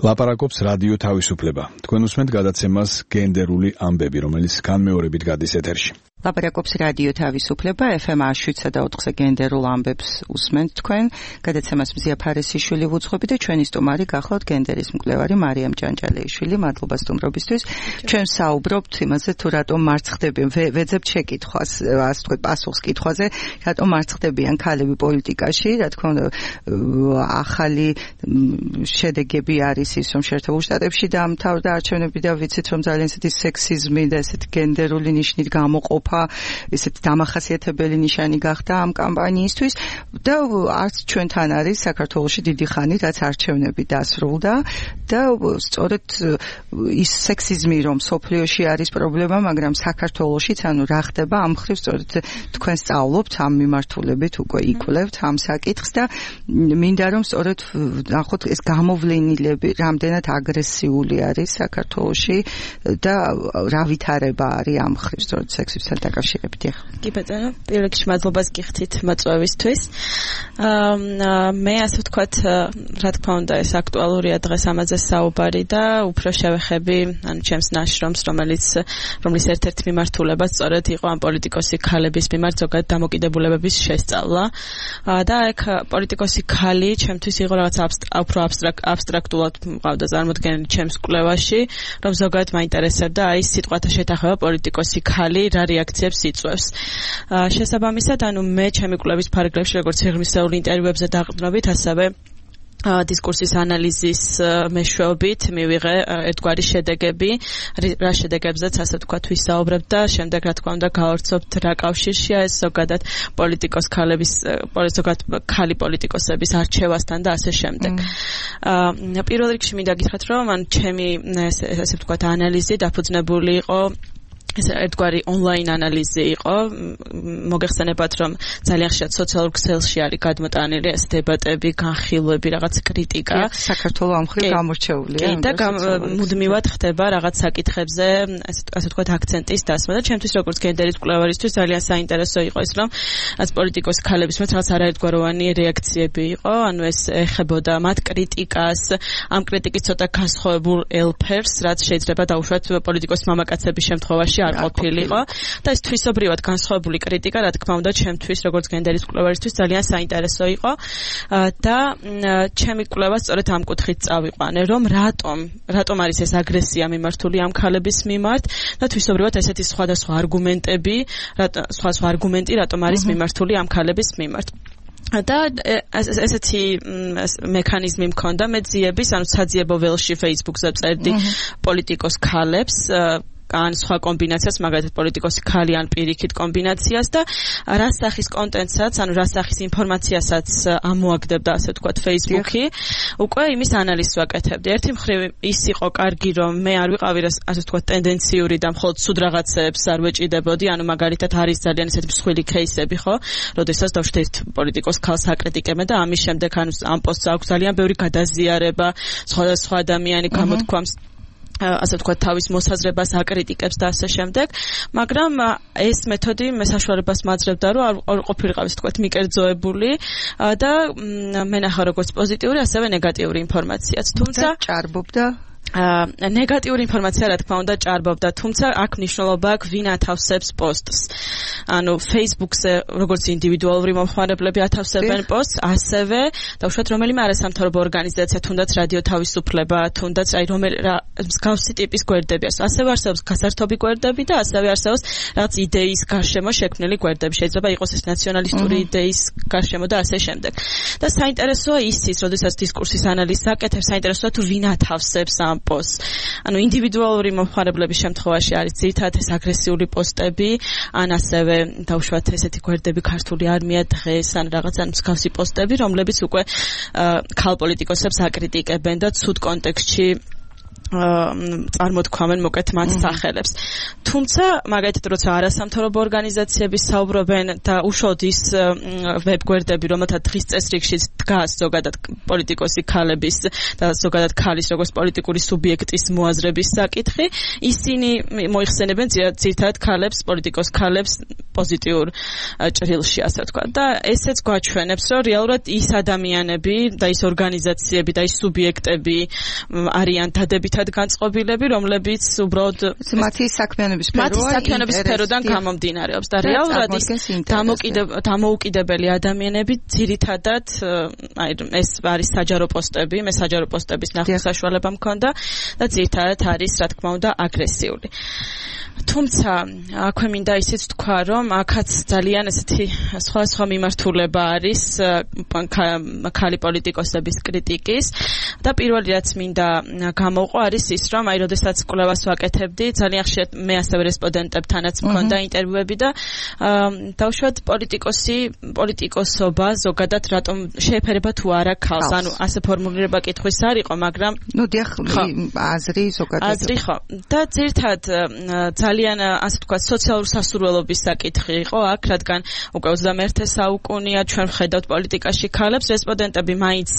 ლაპარაკობს რადიო თავისუფლება. თქვენ უსმენთ გადაცემას გენდერული ამბები, რომელიც განმეორებით გადის ეთერში. ლაპარაკობს რადიო თავისუფლება, ეფ ემ შვიდსა და ოთხზე გენდერულ ამბებს უსმენთ თქვენ. გადაცემას მზია ფარესიშვილი ვუძღვები და ჩვენი სტუმარი გახლავთ გენდერის მკვლევარი მარიამ ჭანჭალეიშვილი. მადლობა სტუმრობისთვის. ჩვენ საუბრობთ იმაზე თუ რატომ მარცხდებიან, ვეძებთ შეკითხვას, ასე ვთქვათ, პასუხს კითხვაზე, რატომ მარცხდებიან ქალები პოლიტიკაში. რა თქმა უნდა, ახალი შედეგები არის ის, რომ შეერთებულ შტატებში დაამთავრდა არჩევნები და ვიცით, რომ ძალიან ისეთი სექსიზმი და ესეთი გენდერული ნიშნით გამოყოფა ესეთი დამახასიათებელი ნიშანი გახდა ამ კამპანიისთვის და არც ჩვენთან არის საქართველოში დიდი ხანი, რაც არჩევნები დასრულდა და სწორედ ის სექსიზმი, რომ სოფლიოში არის პრობლემა, მაგრამ საქართველოშიც ანუ რა ხდება ამ მხრივ სწორედ თქვენ სწავლობთ ამ მიმართულებით, უკვე იკვლევთ ამ საკითხს და მინდა რომ სწორედ ნახოთ ეს გამოვლენილები რამდენად აგრესიული არის საქართველოში და რა ვითარება არის ამ მხრივ სწორედ სექსისთან დაკავშირებით. კი ბატონო, პირველ რიგში მადლობას გიხდით მოწვევისთვის. მე ასე ვთქვათ, რა თქმა უნდა, ეს აქტუალურია დღეს ამაზე საუბარი და უფრო შევეხები, ანუ ჩემს ნაშრომს, რომელიც რომლის ერთ-ერთი მიმართულება სწორედ იყო ამ პოლიტიკოსი ქალების მიმართ ზოგადად დამოკიდებულებების შესწავლა. და ეგ პოლიტიკოსი ქალი ჩემთვის იყო რაღაც უფრო აბსტრაქტულად მყავდა წარმოდგენილი ჩემს კვლევაში, რომ ზოგადად მაინტერესებდა აი სიტყვათა შეთანხმება პოლიტიკოსი ქალი რა რეაქციებს იწვევს. შესაბამისად, ანუ მე ჩემი კვლევის ფარგლებში როგორც სიღრმისეული ინტერვიუებზე დაყრდნობით, ასევე დისკურსის ანალიზის მეშვეობით მივიღე ერთგვარი შედეგები, რა შედეგებზეც ასე ვთქვათ ვისაუბრებ და შემდეგ რა თქმა უნდა გავავრცობთ რა კავშირშია ეს ზოგადად პოლიტიკოს ქალების ზოგადად ქალი პოლიტიკოსების არჩევასთან და ასე შემდეგ. აა პირველ რიგში მინდა გითხრათ რომ მან ჩემი ასე ვთქვათ ანალიზი დაფუძნებული იყო ეს ერთგვარი ონლაინ ანალიზი იყო. მოგეხსენებათ რომ ძალიან ხშირად სოციალურ ქსელში არის გადმოტანილი ეს დებატები, განხილვები, რაღაც კრიტიკა. საქართველოს ამ მხრივ გამორჩეულია. და მუდმივად ხდება რაღაც საკითხებზე, ასე ვთქვათ, აქცენტის დასმა და ჩემთვის როგორც გენდერის მკვლევარისთვის ძალიან საინტერესო იყო ის რომ რაც პოლიტიკოს ქალების მე რაღაც არაერთგვაროვანი რეაქციები იყო, ანუ ეს ეხებოდა მათ კრიტიკას, ამ კრიტიკის ცოტა განსხვავებულ ელფერს, რაც შეიძლება დაუშვათ პოლიტიკოს მამაკაცების შემთხვევაში არ ყოფილიყო და ეს თვისობრივად განსხვავებული კრიტიკა რა თქმა უნდა ჩემთვის როგორც გენდერის მკვლევარისთვის ძალიან საინტერესო იყო და ჩემი კვლევა სწორედ ამ კუთხით წავიყვანე რომ რატომ რატომ არის ეს აგრესია მიმართული ამ ქალების მიმართ და თვისობრივად ესეთი სხვადასხვა არგუმენტები სხვა სხვა არგუმენტი რატომ არის მიმართული ამ ქალების მიმართ და ესეთი მექანიზმი მქონდა მე ძიების ანუ საძიებო ველში Facebook-ზე წერდი პოლიტიკოს ქალებს ან სხვა კომბინაციას, მაგალითად პოლიტიკოსი ქალი ან პირიქით კომბინაციას და რა სახის კონტენტსაც, ანუ რა სახის ინფორმაციასაც ამოაგდებდა, ასე ვთქვათ, Facebook-ი, უკვე იმის ანალიზს ვაკეთებდი. ერთი მხრივ ის იყო კარგი, რომ მე არ ვიყავი, ასე ვთქვათ, ტენდენციური და მხოლოდ სულ რაღაცებს არ ვეჭიდებოდი, ანუ მაგალითად არის ძალიან ესეთი მსხვილი кейსები, ხო? როდესაც დავშვით ერთ პოლიტიკოს ქალს აკრიტიკებენ და ამის შემდეგ ანუ ამ პოსტს აქვს ძალიან ბევრი გადაზიარება, სხვადასხვა ადამიანი გამოთქვამს ასე ვთქვათ თავის მოსაზრებას აკრიტიკებს და ასე შემდეგ, მაგრამ ეს მეთოდი მე საშუალებას მაძლევდა რომ არ ყოფილიყავ ასე ვთქვათ მიკერძოებული და მენახა როგორც პოზიტიური, ასევე ნეგატიური ინფორმაციაც, თუმცა ჭარბობდა აა ნეგატიური ინფორმაცია რა თქმა უნდა ჭარბობდა, თუმცა აქ მნიშვნელობა აქვს ვინ ათავსებს პოსტს. ანუ Facebook-ზე როგორც ინდივიდუალური მომხმარებლები ათავსებენ პოსტს, ასევე დავუშვათ რომელიმე არასამთავრობო ორგანიზაცია, თუნდაც რადიო თავისუფლება, თუნდაც აი რომელი მსგავსი ტიპის გვერდები არის. ასევე არსებობს გასართობი გვერდები და ასევე არსებობს რაღაც იდეის გარშემო შექმნილი გვერდები. შეიძლება იყოს ეს ნაციონალისტური იდეის გარშემო და ასე შემდეგ. და საინტერესოა ისიც, როდესაც დისკურსის ანალიზს აკეთებ, საინტერესოა თუ ვინ ათავსებს ამ პოსტს. ანუ ინდივიდუალური მომხმარებლების შემთხვევაში არის ძირითადად ეს აგრესიული პოსტები, ან ასევე დავუშვათ ესეთი გვერდები ქართული არმია დღეს, ან რაღაც ან მსგავსი პოსტები, რომლებიც უკვე ქალ პოლიტიკოსებს აკრიტიკებენ და ცუდ კონტექსტში წარმოთქვამენ მოკეთ მათ სახელებს. თუმცა მაგალითად როცა არასამთავრობო ორგანიზაციები საუბრობენ და უშუალოდ ის ვებგვერდები, რომელთა დღის წესრიგში დგას ზოგადად პოლიტიკოსი ქალების და ზოგადად ქალის როგორც პოლიტიკური სუბიექტის მოაზრების საკითხი, ისინი მოიხსენებენ ძირითადად ქალებს, პოლიტიკოს ქალებს პოზიტიურ ჭრილში, ასე ვთქვათ. და ესეც გვაჩვენებს, რომ რეალურად ის ადამიანები და ის ორგანიზაციები და ის სუბიექტები არიან დადებითად განწყობილები, რომლებიც უბრალოდ მათი საქმიანობის სფეროა, მათი საქმიანობის სფეროდან გამომდინარეობს და რეალურად ის დამოუკიდებელი ადამიანები ძირითადად აი ეს არის საჯარო პოსტები, მე საჯარო პოსტების ნახვის საშუალება მქონდა და ძირითადად არის რა თქმა უნდა აგრესიული. თუმცა აქვე მინდა ისიც თქვა, რომ აქაც ძალიან ესეთი სხვადასხვა მიმართულება არის ქალი პოლიტიკოსების კრიტიკის და პირველი რაც მინდა გამოვყო არის ის, რომ აი როდესაც კვლევას ვაკეთებდი, ძალიან ხშირად მე ასევე რესპონდენტებთანაც მქონდა ინტერვიუები და დავუშვათ პოლიტიკოსი, პოლიტიკოსობა ზოგადად რატომ შეეფერება თუ არა ქალს, ანუ ასე ფორმულირება კითხვის არ იყო, მაგრამ ნუ დიახ, აზრი ზოგადად აზრი ხო და ძირთად ძალიან ასე ვთქვათ სოციალურ სასურველობის საკითხი იყო აქ, რადგან უკვე ოცდამეერთე საუკუნეა ჩვენ ვხედავთ პოლიტიკაში ქალებს, რესპონდენტები მაინც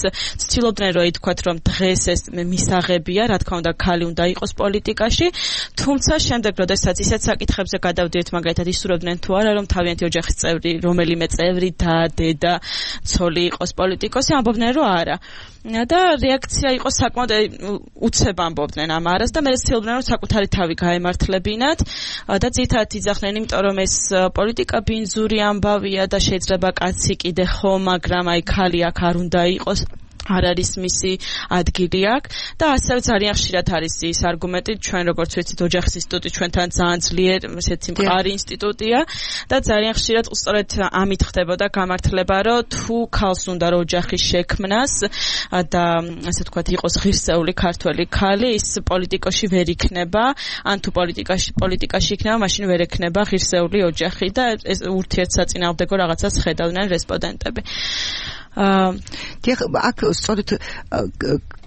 ცდილობდნენ რომ ითქვათ რომ დღეს ეს მისაღებია, რა თქმა უნდა ქალი უნდა იყოს პოლიტიკაში, თუმცა შემდეგ როდესაც ისეთ საკითხებზე გადავდიეთ, მაგალითად ისურვებდნენ თუ არა რომ თავიანთი ოჯახის წევრი, რომელიმე წევრი და დედა, ცოლი იყოს პოლიტიკოსი, ამბობდნენ რომ არა. და რეაქცია იყო საკმაოდ უცებ ამბობდნენ ამ არას და მე ცდილობდნენ რომ საკუთარი თავი გაემართლებინათ და ძირითადად იძახდნენ, იმიტომ რომ ეს პოლიტიკა ბინძური ამბავია და შეიძლება კაცი კიდე ხო, მაგრამ აი ქალი აქ არ უნდა იყოს. არ არის მისი ადგილი აქ და ასევე ძალიან ხშირად არის ის არგუმენტი ჩვენ როგორც ვიცით ოჯახის ინსტიტუტი ჩვენთან ძალიან ძლიერ ესეთი მყარი ინსტიტუტია და ძალიან ხშირად სწორედ ამით ხდებოდა გამართლება რომ თუ ქალს უნდა რომ ოჯახის შექმნას და ასე ვთქვათ იყოს ღირსეული ქართველი ქალი ის პოლიტიკაში ვერ იქნება ან თუ პოლიტიკაში პოლიტიკაში იქნება მაშინ ვერ ექნება ღირსეული ოჯახი და ეს ურთიერთსაწინააღმდეგო რაღაცას ხედავდნენ რესპონდენტები დიახ, აქ სწორედ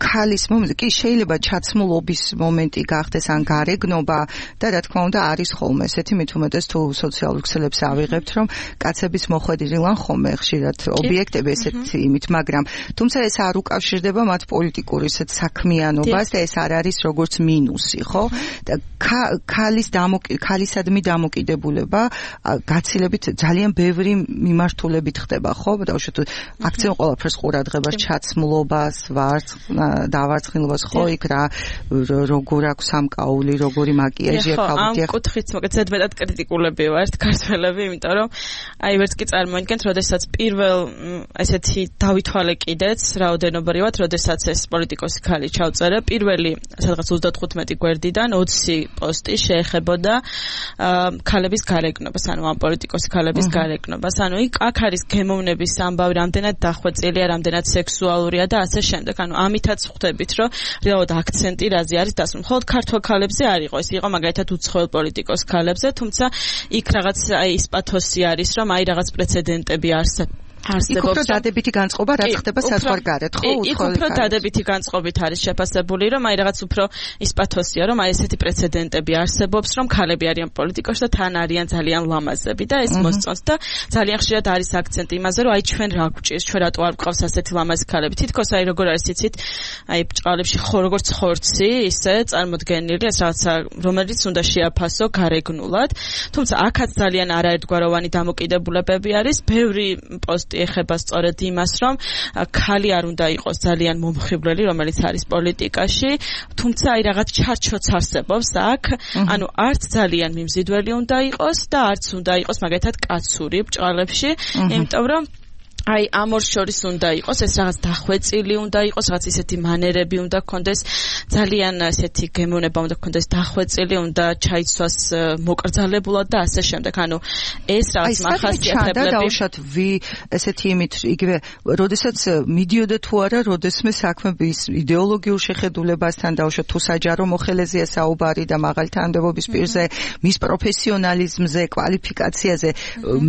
ქალის მომენტი კი შეიძლება ჩაცმულობის მომენტი გახდეს ან გარეგნობა და რა თქმა უნდა არის ხოლმე ესეთი მით უმეტეს თუ სოციალურ ქსელებს ავიღებთ რომ კაცების მოხვედრილან ხოლმე ხშირად ობიექტები ესეთი იმით მაგრამ თუმცა ეს არ უკავშირდება მათ პოლიტიკურ ისეთ საქმიანობას და ეს არ არის როგორც მინუსი ხო და ქალის ქალისადმი დამოკიდებულება გაცილებით ძალიან ბევრი მიმართულებით ხდება ხო და აქცენტ ყველაფერს ყურადღებას ჩაცმულობას ვარცხ დავარცხნილობას ხო იქ რა როგორ აქვს სამკაული როგორი მაკიაჟია ქალბატონი ამ კუთხით მოგეთ ზედმეტად კრიტიკულები ვართ ქართველები იმიტომ რომ აი ვერც კი წარმოიდგენთ როდესაც პირველ ესეთი დავითვალე კიდეც რაოდენობრივად როდესაც ეს პოლიტიკოსი ქალი ჩავწერა პირველი სადღაც ოცდათხუთმეტი გვერდიდან ოცი პოსტი შეეხებოდა ქალების გარეგნობას ანუ ამ პოლიტიკოსი ქალების გარეგნობას ანუ იქ აქ არის გემოვნების ამბავი რამდენად დახვეწილია რამდენად სექსუალურია და ასე შემდეგ ანუ ამითაც ხვდებით რომ რეალურად აქცენტი რაზე არის დასმული მხოლოდ ქართველ ქალებზე არ იყო ეს იყო მაგალითად უცხოელ პოლიტიკოს ქალებზე თუმცა იქ რაღაც აი ის პათოსი არის რომ აი რაღაც პრეცედენტები არსებობს იქ უფრო დადებითი განწყობა რაც ხდება საზღვარგარეთ ხო იქ უფრო დადებითი განწყობით არის შეფასებული რომ აი რაღაც უფრო ის პათოსია რომ აი ესეთი პრეცედენტები არსებობს რომ ქალები არიან პოლიტიკოში და თან არიან ძალიან ლამაზები და ეს მოსწონს და ძალიან ხშირად არის აქცენტი იმაზე რომ აი ჩვენ რა გვჭირს ჩვენ რატო არ გვყავს ასეთი ლამაზი ქალები თითქოს აი როგორ არის იცით აი ბჭყალებში ხო როგორც ხორცი ისე წარმოდგენილი ეს რაღაცა რომელიც უნდა შეაფასო გარეგნულად თუმცა აქაც ძალიან არაერთგვაროვანი დამოკიდებულებები არის ბევრი პოსტი ეხება სწორედ იმას, რომ ქალი არ უნდა იყოს ძალიან მომხიბვლელი, რომელიც არის პოლიტიკაში, თუმცა აი რაღაც ჩარჩოც არსებობს აქ, ანუ არც ძალიან მიმზიდველი უნდა იყოს და არც უნდა იყოს მაგალითად კაცური ბჭყალებში, იმიტომ რომ აი ამ ორ შორის უნდა იყოს ეს რაღაც დახვეწილი უნდა იყოს რაღაც ისეთი მანერები უნდა გქონდეს ძალიან ესეთი გემოვნება უნდა გქონდეს დახვეწილი უნდა ჩაიცვას მოკრძალებულად და ასე შემდეგ ანუ ეს რაღაც მახასიათებლები და დაუშვათ ვი ესეთი იმით იგივე როდესაც მიდიოდა თუ არა როდესმე საქმების იდეოლოგიურ შეხედულებასთან დაუშვათ თუ საჯარო მოხელეზეა საუბარი და მაღალი თანამდებობის პირზე მის პროფესიონალიზმზე კვალიფიკაციაზე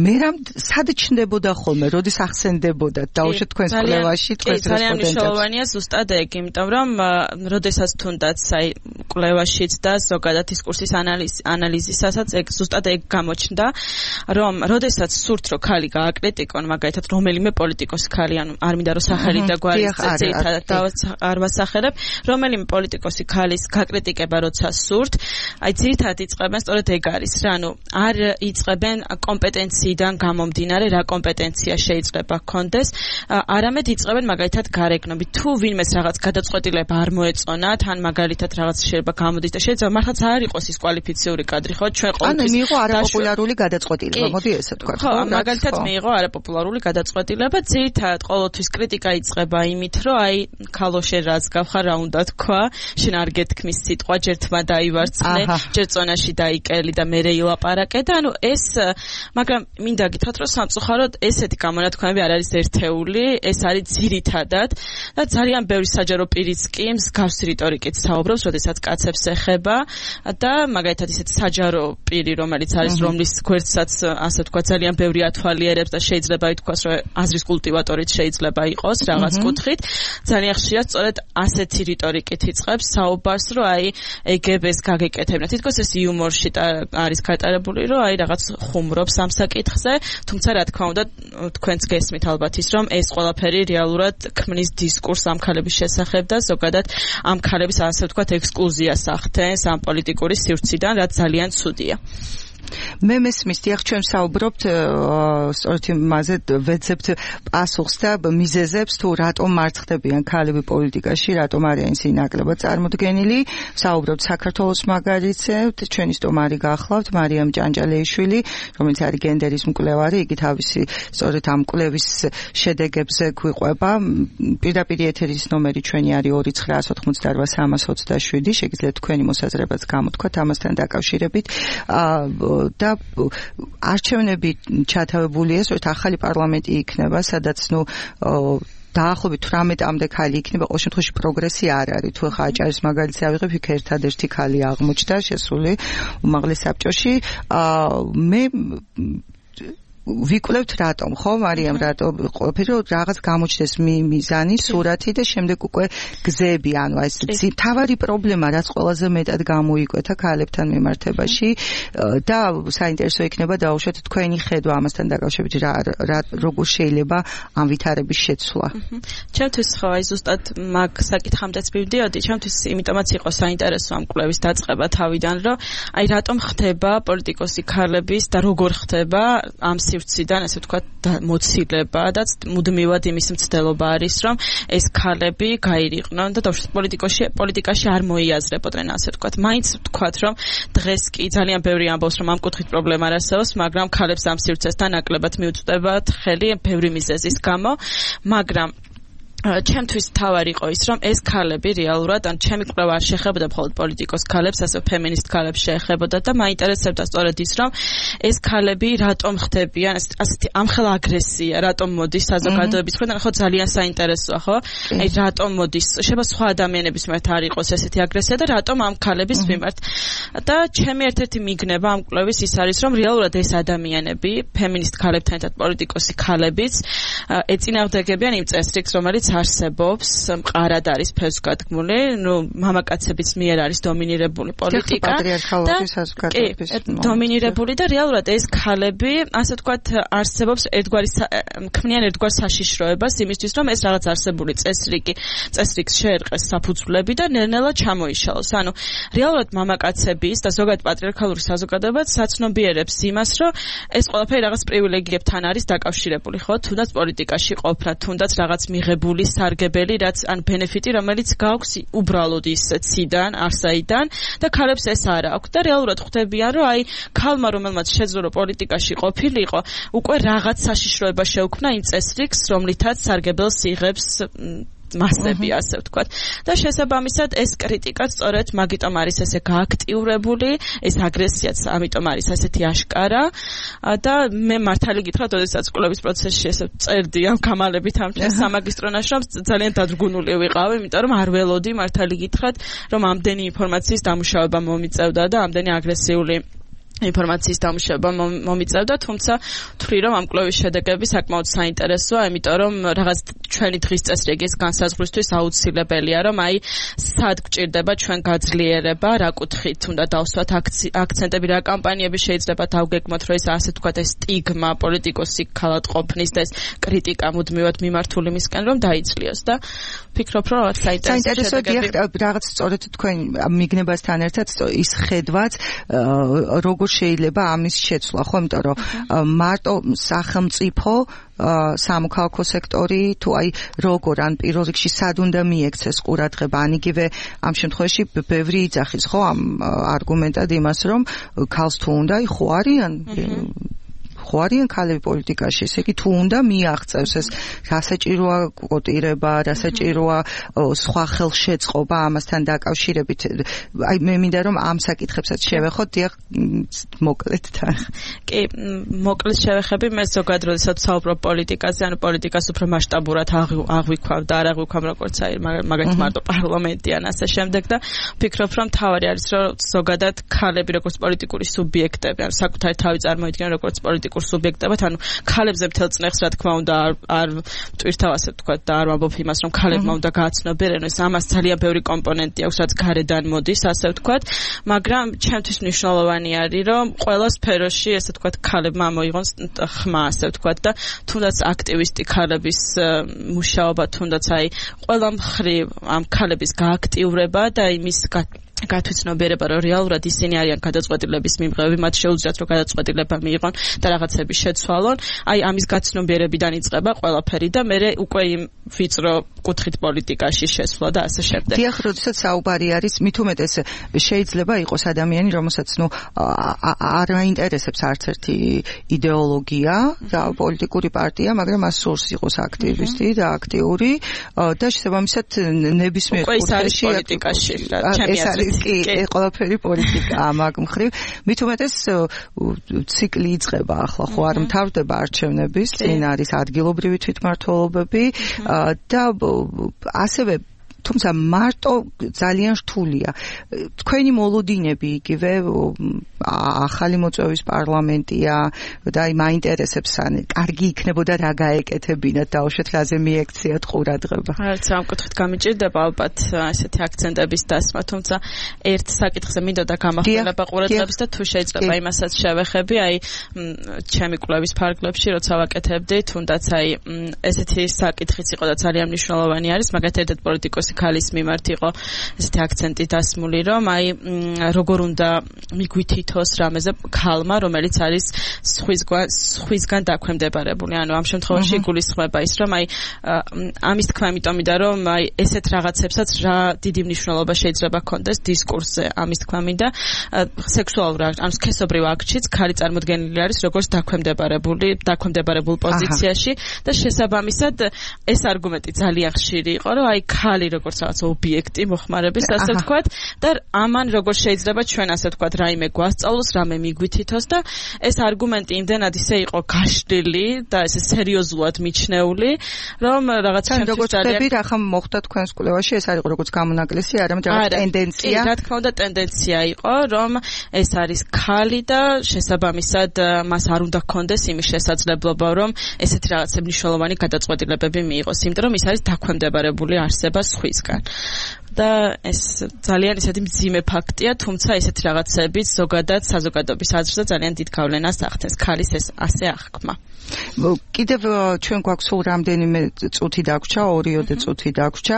მე რამ სად ჩნდებოდა ხოლმე როდის ახსენდებოდა დაუშვათ თქვენს კვლევაში თქვენს რესპონდენტებს ძალიან მნიშვნელოვანია ზუსტად ეგ იმიტომ რომ როდესაც თუნდაც აი კვლევაშიც და ზოგადად დისკურსის ანალიზისასაც ეგ ზუსტად ეგ გამოჩნდა რომ როდესაც სურთ რომ ქალი გააკრიტიკონ მაგალითად რომელიმე პოლიტიკოსი ქალი ანუ არ მინდა რომ სახელი და გვარი ძირითადად არ ვასახელებ რომელიმე პოლიტიკოსი ქალის გაკრიტიკება როცა სურთ აი ძირითადად იწყებენ სწორედ ეგ არის რა ანუ არ იწყებენ კომპეტენციიდან გამომდინარე რა კომპეტენცია შეიძლება გქონდეს არამედ იწყებენ მაგალითად გარეგნობით თუ ვინმეს რაღაც გადაწყვეტილება არ მოეწონა თან მაგალითად რაღაც შეიძლება გამოდის და შეიძლება მართლაც არ იყოს ის კვალიფიციური კადრი ხო ჩვენ ყოველთვის ანუ მიიღო არაპოპულარული გადაწყვეტილება მოდი ესე თქვა ხო მაგალითად მიიღო არაპოპულარული გადაწყვეტილება ძირითადად ყოველთვის კრიტიკა იწყება იმით რომ აი ქალო შენ რაც გავხარ რა უნდა თქვა შენ არ გეთქმის სიტყვა ჯერ თმა დაივარცხნე ჯერ წონაში დაიკელი და მერე ილაპარაკე და ანუ ეს მაგრამ მინდა გითხრათ რომ სამწუხაროდ ესეთი გამონათქვამები არ არის ერთეული ეს არის ძირითადად და ძალიან ბევრი საჯარო პირიც კი მსგავსი რიტორიკით საუბრობს როდესაც კაცებს ეხება და მაგალითად ისეთი საჯარო პირი რომელიც არის რომლის გვერდსაც ასე ვთქვა ძალიან ბევრი ათვალიერებს და შეიძლება ითქვას რომ აზრის კულტივატორიც შეიძლება იყოს რაღაც კუთხით ძალიან ხშირად სწორედ ასეთი რიტორიკით იწყებს საუბარს რომ აი ეგებს გაგეკეთებინა თითქოს ეს იუმორში არის გატარებული რომ აი რაღაც ხუმრობს ამ საკითხზე თუმცა რა თქმა უნდა თქვენც გესმით ალბათ ის რომ ეს ყველაფერი რეალურად ქმნის დისკურსს ამ ქალების შესახებ და ზოგადად ამ ქალების ასე ვთქვათ ექსკლუზიას ახდენს ამ პოლიტიკური სივრციდან რაც ძალიან ცუდია მე მესმის, დიახ, ჩვენ საუბრობთ სწორედ იმაზე, ვეძებთ პასუხს და მიზეზებს, თუ რატომ მარცხდებიან ქალები პოლიტიკაში, რატომ არიან ისინი ნაკლებად წარმოდგენილი. საუბრობთ საქართველოს მაგალითზე, ჩვენი სტუმარი გახლავთ მარიამ ჭანჭალეიშვილი, რომელიც არის გენდერის მკვლევარი, იგი თავისი სწორედ ამ კვლევის შედეგებზე გვიყვება. პირდაპირ ეთერის ნომერი ჩვენი არის ორი ცხრა ოთხმოცდაოთხ სამას ოცდაშვიდი, შეგიძლიათ თქვენი მოსაზრებაც გამოთქვათ ამასთან დაკავშირებით. და არჩევნები ჩათავებულია, სწორედ ახალი პარლამენტი იქნება, სადაც ნუ დაახლოებით თვრამეტამდე ქალი იქნება, ყოველ შემთხვევაში პროგრესი არ არის. თუ ხა აჭარის მაგალითზე ავიღებ, იქ ერთადერთი ქალი აღმოჩნდა შესული უმაღლეს საბჭოში. მე ვიკვლევთ რატომ, ხო, მარიამ, რატომ ყოფილი რაღაც გამოჩნდეს მიზანი, სურათი და შემდეგ უკვე გზები, ანუ ეს თავარი პრობლემა, რაც ყველაზე მეტად გამოიკვეთა ქალებთან მიმართებაში და საინტერესო იქნება დაუშვათ თქვენი ხედვა ამასთან დაკავშირებით, რა როგორ შეიძლება ამ ვითარების შეცვლა. ჩემთვის ხო, აი ზუსტად მაგ საკითხამდეც მივდიოდი, ჩემთვის იმიტომაც იყო საინტერესო ამ კვლევის დაწყება თავიდან, რომ აი რატომ ხდება პოლიტიკოსი ქალების და როგორ ხდება ამ სივრციდან, ასე ვთქვათ, მოცილება და მუდმივად იმის მცდელობა არის, რომ ეს ქალები გაირიყვნენ და დავუშვათ პოლიტიკაში, პოლიტიკაში არ მოიაზრებოდნენ, ასე ვთქვათ. მაინც ვთქვათ, რომ დღეს კი ძალიან ბევრი ამბობს, რომ ამ კუთხით პრობლემა არ არსებობს, მაგრამ ქალებს ამ სივრცესთან ნაკლებად მიუწვდებათ ხელი ბევრი მიზეზის გამო, მაგრამ ჩემთვის თავარი იყო ის, რომ ეს ქალები რეალურად, ან ჩემი კვლევა არ შეეხებოდა მხოლოდ პოლიტიკოს ქალებს, ასე ფემინისტ ქალებს შეეხებოდა და მაინტერესებდა სწორედ ის, რომ ეს ქალები რატომ ხდებიან, ასეთი ამხელა აგრესია, რატომ მოდის საზოგადოების მხრიდან, ხო ძალიან საინტერესოა, ხო? აი რატომ მოდის, შეიძლება სხვა ადამიანების მიმართ არ იყოს ესეთი აგრესია და რატომ ამ ქალების მიმართ. და ჩემი ერთ-ერთი მიგნება ამ კვლევის ის არის, რომ რეალურად ეს ადამიანები, ფემინისტ ქალებთან ერთად პოლიტიკოსი ქალებიც ეწინააღმდეგებიან იმ წესრიგს, რომელიც არსებობს, მყარად არის ფესვგადგმული, ნუ მამაკაცების მიერ არის დომინირებული პოლიტიკა და დომინირებული და რეალურად ეს ქალები, ასე ვთქვათ, არსებობს ერთგვარი ქმნიან ერთგვარ საშიშროებას იმისთვის, რომ ეს რაღაც არსებული წესრიგი, წესრიგს შეერყეს საფუძვლები და ნელ-ნელა ჩამოიშალოს. ანუ რეალურად მამაკაცების და ზოგადად პატრიარქალური საზოგადოება საცნობიერებს იმას, რომ ეს ყველაფერი რაღაც პრივილეგიებთან არის დაკავშირებული, ხო? თუნდაც პოლიტიკაში ყოფნა, თუნდაც რაღაც მიღებული სარგებელი, რაც ან ბენეფიტი, რომელიც გაქვს უბრალოდ ის ციდან, არსაიდან და ქალებს ეს არ აქვს და რეალურად ხვდებიან, რომ აი ქალმა, რომელმაც შეძლო პოლიტიკაში ყოფილიყო, უკვე რაღაც საშიშროება შეუქმნა იმ წესრიგს, რომლითაც სარგებელს იღებს მასები, ასე ვთქვათ. და შესაბამისად ეს კრიტიკა სწორედ მაგიტომ არის ესე გააქტიურებული, ეს აგრესიაც ამიტომ არის ასეთი აშკარა და მე მართალი გითხრათ, ოდესაც კვლევის პროცესში ესე წერდი ამ გამალებით ამ ჩემს სამაგისტრო ნაშრომს, ძალიან დადგუნული ვიყავი, იმიტომ რომ არ ველოდი მართალი გითხრათ, რომ ამდენი ინფორმაციის დამუშავება მომიწევდა და ამდენი აგრესიული ინფორმაციის დამუშავება მომიწევდა, თუმცა ვთვლი, რომ ამ კვლევის შედეგები საკმაოდ საინტერესოა, იმიტომ რომ რაღაც ჩვენი დღის წესრიგის განსაზღვრისთვის აუცილებელია, რომ აი სად გვჭირდება ჩვენ გაძლიერება, რა კუთხით უნდა დავსვათ აქცენტები, რა კამპანიები შეიძლება დავგეგმოთ, რომ ეს ასე ვთქვათ, ეს სტიგმა პოლიტიკოსი ქალად ყოფნის და ეს კრიტიკა მუდმივად მიმართული მისკენ რომ დაიცლიოს და ვფიქრობ, რომ რაღაც საინტერესო შედეგები რაღაც სწორედ თქვენ მიგნებასთან ერთად ის ხედვაც როგორ შეიძლება ამის შეცვლა, ხო, იმიტომ რომ მარტო სახელმწიფო სამოქალაქო სექტორი თუ აი როგორ ან პირველ რიგში სად უნდა მიექცეს ყურადღება, ან იგივე ამ შემთხვევაში ბევრი იძახის, ხო, ამ არგუმენტად იმას, რომ ქალს თუ უნდა, აი ხო არიან ხო არიან ქალები პოლიტიკაში, ესე იგი თუ უნდა მიაღწევს ეს რასაჭიროა კოტირება, რასაჭიროა სხვა ხელშეწყობა ამასთან დაკავშირებით. აი მე მინდა რომ ამ საკითხებსაც შევეხოთ, დიახ, მოკლედ თან. კი, მოკლედ შევეხები, მე ზოგადად როდესაც საუბრობ პოლიტიკაზე, ანუ პოლიტიკას უფრო მასშტაბურად აღვიქვავ და არ აღვიქვავ როგორც აი მაგალითად მარტო პარლამენტი ან ასე შემდეგ და ვფიქრობ, რომ თავარი არის, რომ ზოგადად ქალები როგორც პოლიტიკური სუბიექტები, ანუ საკუთარი თავი წარმოიდგენენ როგორც პოლიტიკური სუბიექტებად, ანუ ქალებზე მთელ წნეხს რა თქმა უნდა არ არ მტვირთავ ასე ვთქვათ და არ ვამბობ იმას, რომ ქალებმა უნდა გააცნობიერონ, ეს ამას ძალიან ბევრი კომპონენტი აქვს, რაც გარედან მოდის, ასე ვთქვათ, მაგრამ ჩემთვის მნიშვნელოვანი არის, რომ ყველა სფეროში, ასე ვთქვათ, ქალებმა მოიღონ ხმა, ასე ვთქვათ და თუნდაც აქტივისტი ქალების მუშაობა, თუნდაც აი ყველა მხრივ ამ ქალების გააქტიურება და იმის გათვითცნობიერება, რომ რეალურად ისინი არიან გადაწყვეტილების მიმღები, მათ შეუძლიათ რომ გადაწყვეტილება მიიღონ და რაღაცები შეცვალონ. აი ამის გაცნობიერებიდან იწყება ყველაფერი და მე უკვე იმ ვიწრო კუთხით პოლიტიკაში შესვლა და ასე შემდეგ. დიახ, როდესაც საუბარი არის, მით უმეტეს შეიძლება იყოს ადამიანი, რომელსაც ნუ არ აინტერესებს არც ერთი იდეოლოგია და პოლიტიკური პარტია, მაგრამ მას სურს იყოს აქტივისტი და აქტიური და შესაბამისად ნებისმიერ კუთხეში პოლიტიკაში რა ჩემი აზრით კი, ყველაფერი პოლიტიკაა მაგ მხრივ. მით უმეტეს ციკლი იწყება ახლა, ხო არ მთავრდება არჩევნების, წინ არის ადგილობრივი თვითმმართველობები და ასევე თუმცა მარტო ძალიან რთულია. თქვენი მოლოდინები იგივე ახალი მოწვევის პარლამენტია და აი მაინტერესებს ან კარგი იქნებოდა რა გაეკეთებინათ დაუშვათ რაზე მიექციათ ყურადღება. არც ამ კუთხით გამიჭირდება ალბათ ესეთი აქცენტების დასმა, თუმცა ერთ საკითხზე მინდოდა გამახვილება ყურადღებას და თუ შეიძლება იმასაც შევეხები, აი ჩემი კვლევის ფარგლებში როცა ვაკეთებდი, თუნდაც აი ესეთი საკითხიც იყო და ძალიან მნიშვნელოვანი არის, მაგათაც ერთ პოლიტიკოსი ქალის მიმართ იყო ესეთი აქცენტი დასმული, რომ აი როგორ უნდა მიგვითითოს რამეზე ქალმა, რომელიც არის სხვისგან სხვისგან დაქვემდებარებული. ანუ ამ შემთხვევაში იგულისხმება ის, რომ აი ამის თქვა იმიტომიდა, რომ აი ესეთ რაღაცებსაც რა დიდი მნიშვნელობა შეიძლება ჰქონდეს დისკურსზე. ამის თქვა მინდა სექსუალურ ან სქესობრივ აქტშიც ქალი წარმოდგენილი არის როგორც დაქვემდებარებული, დაქვემდებარებულ პოზიციაში და შესაბამისად ეს არგუმენტი ძალიან ხშირი იყო, რომ აი ქალი როგორც რაღაც ობიექტი მოხმარების, ასე ვთქვათ, და ამან როგორ შეიძლება ჩვენ ასე ვთქვათ რაიმე გვასწავლოს, რამე მიგვითითოს და ეს არგუმენტი იმდენად ისე იყო გაშლილი და ესე სერიოზულად მიჩნეული, რომ რაღაც შემთხვევაში ძალიან რა ხომ მოხდა თქვენს კვლევაში, ეს არის როგორც გამონაკლისი, არამედ რაღაც ტენდენცია. კი, რა თქმა უნდა ტენდენცია იყო, რომ ეს არის ქალი და შესაბამისად მას არ უნდა ჰქონდეს იმის შესაძლებლობა, რომ ესეთი რაღაცა მნიშვნელოვანი გადაწყვეტილებები მიიღოს, იმიტომ რომ ის არის დაქვემდებარებული არსება სხვისგან. და ეს ძალიან ისეთი მძიმე ფაქტია, თუმცა ესეთი რაღაცებიც ზოგადად საზოგადოების აზრზე ძალიან დიდ გავლენას ახდენს ქალის ეს ასე აღქმა. კიდევ ჩვენ გვაქვს სულ რამდენიმე წუთი დაგვრჩა, ორიოდე წუთი დაგვრჩა.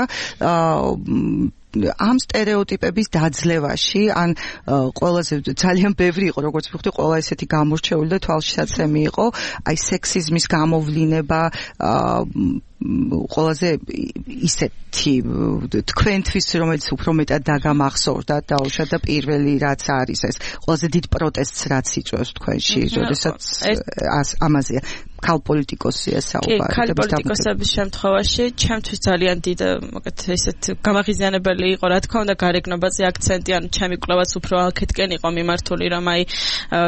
ამ სტერეოტიპების დაძლევაში, ან ყველაზე ძალიან ბევრი იყო, როგორც ვიხდი, ყველა ესეთი გამორჩეული და თვალშისაცემი იყო, აი სექსიზმის გამოვლინება, ყველაზე ისეთი თქვენთვის, რომელიც უფრო მეტად დაგამახსოვრდა დაუშვათ და პირველი რაც არის ეს, ყველაზე დიდ პროტესტს რაც იწვევს თქვენში, როდესაც ამაზეა ქალ პოლიტიკოსია საუბარი. კი, ქალ პოლიტიკოსების შემთხვევაში ჩემთვის ძალიან დიდ მოგეთ ესეთ გამაღიზიანებელი იყო, რა თქმა უნდა, გარეგნობაზე აქცენტი, ან ჩემი კვლევაც უფრო აქეთკენ იყო მიმართული, რომ აი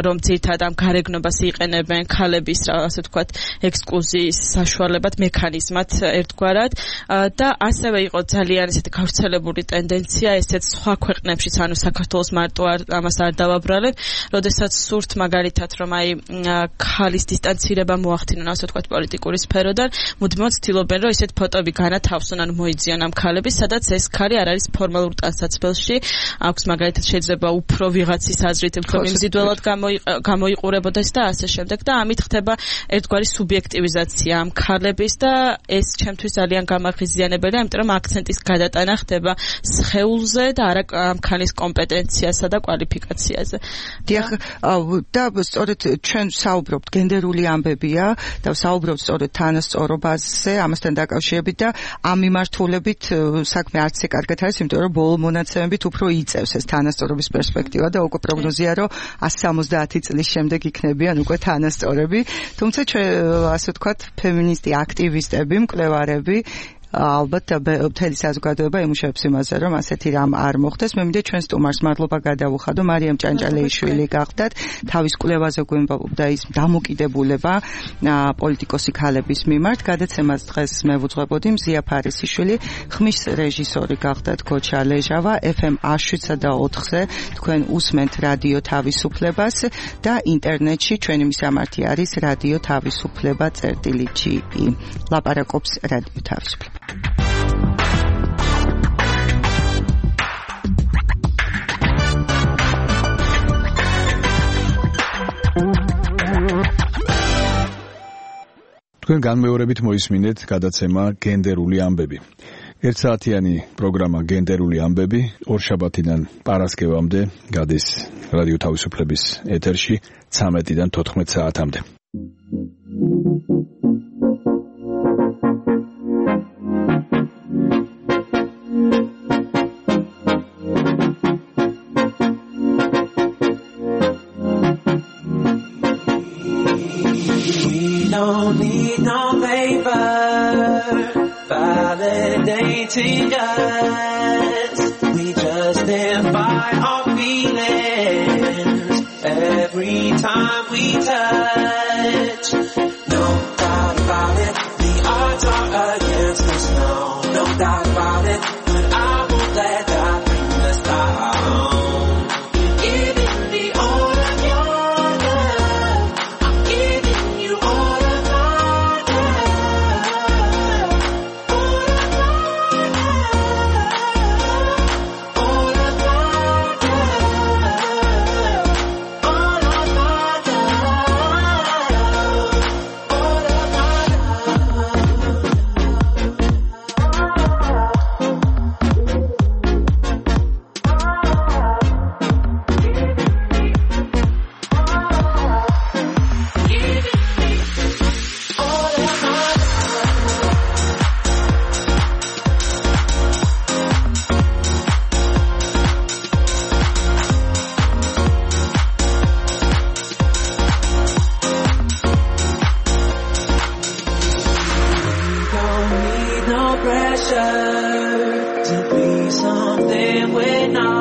რომ ძირითადად ამ გარეგნობას იყენებენ ქალების, ასე ვთქვათ, ექსკლუზიის საშუალებად მექანიზმად ერთგვარად და ასევე იყო ძალიან ესეთი გავრცელებული ტენდენცია ესეც სხვა ქვეყნებშიც, ანუ საქართველოს მარტო ამას არ დავაბრალებ, როდესაც სურთ მაგალითად რომ აი ქალის დისტანცირება მოახდინონ, ასე ვთქვათ, პოლიტიკური სფეროდან, მუდმივად ცდილობენ რომ ესეთ ფოტოები განათავსონ, ანუ მოიძიონ ამ ქალების, სადაც ეს ქალი არ არის ფორმალურ ტანსაცმელში, აქვს მაგალითად შეიძლება უფრო ვიღაცის აზრით უფრო მიმზიდველად გამოიყურებოდეს და ასე შემდეგ და ამით ხდება ერთგვარი სუბიექტივიზაცია ამ ქალების და ეს ჩემთვის ძალიან გამაღიზიანებელია, იმიტომ რომ აქცენტის გადატანა ხდება სხეულზე და არა ამ ქალის კომპეტენციასა და კვალიფიკაციაზე. დიახ, და სწორედ ჩვენ საუბრობთ გენდერული ამბებია და საუბრობთ სწორედ თანასწორობაზე, ამასთან დაკავშირებით და ამ მიმართულებით საქმე არც ისე კარგად არის, იმიტომ რომ ბოლო მონაცემებით უფრო იწევს ეს თანასწორობის პერსპექტივა და უკვე პროგნოზია, რომ ასი სამოცდაათი წლის შემდეგ იქნებიან უკვე თანასწორები. თუმცა ჩვენ ასე ვთქვათ, ფემინისტი აქტივისტები, მკვლევარები ალბათ მთელი საზოგადოება იმუშავებს იმაზე, რომ ასეთი რამ არ მოხდეს. მე მინდა ჩვენ სტუმარს მადლობა გადავუხადო, მარიამ ჭანჭალეიშვილი გახდათ, თავის კვლევაზე გვემბობდა ის დამოკიდებულება პოლიტიკოსი ქალების მიმართ. გადაცემას დღეს მე ვუძღვებოდი, მზია ფარისიშვილი, ხმის რეჟისორი გახდათ გოჩა ლეჟავა, ეფ ემ შვიდსა და ოთხზე თქვენ უსმენთ რადიო თავისუფლებას და ინტერნეტში ჩვენი მისამართი არის რადიო თავისუფლება წერტილი ჯი ი. ლაპარაკობს რადიო თავისუფლება. თქვენ განმეორებით მოისმინეთ გადაცემა გენდერული ამბები. ერთსაათიანი პროგრამა გენდერული ამბები ორშაბათიდან პარასკევამდე გადის რადიო თავისუფლების ეთერში ცამეტიდან თოთხმეტ საათამდე. Don't need no paper validating us. We just live by our feelings every time we touch. No doubt about it, the odds are against us now. No doubt about it, but I won't let that bring us down. Giving me all of your love, I'm giving you all of my love. All of my love, all of my love, all of my Don't need no pressure to be something we're not.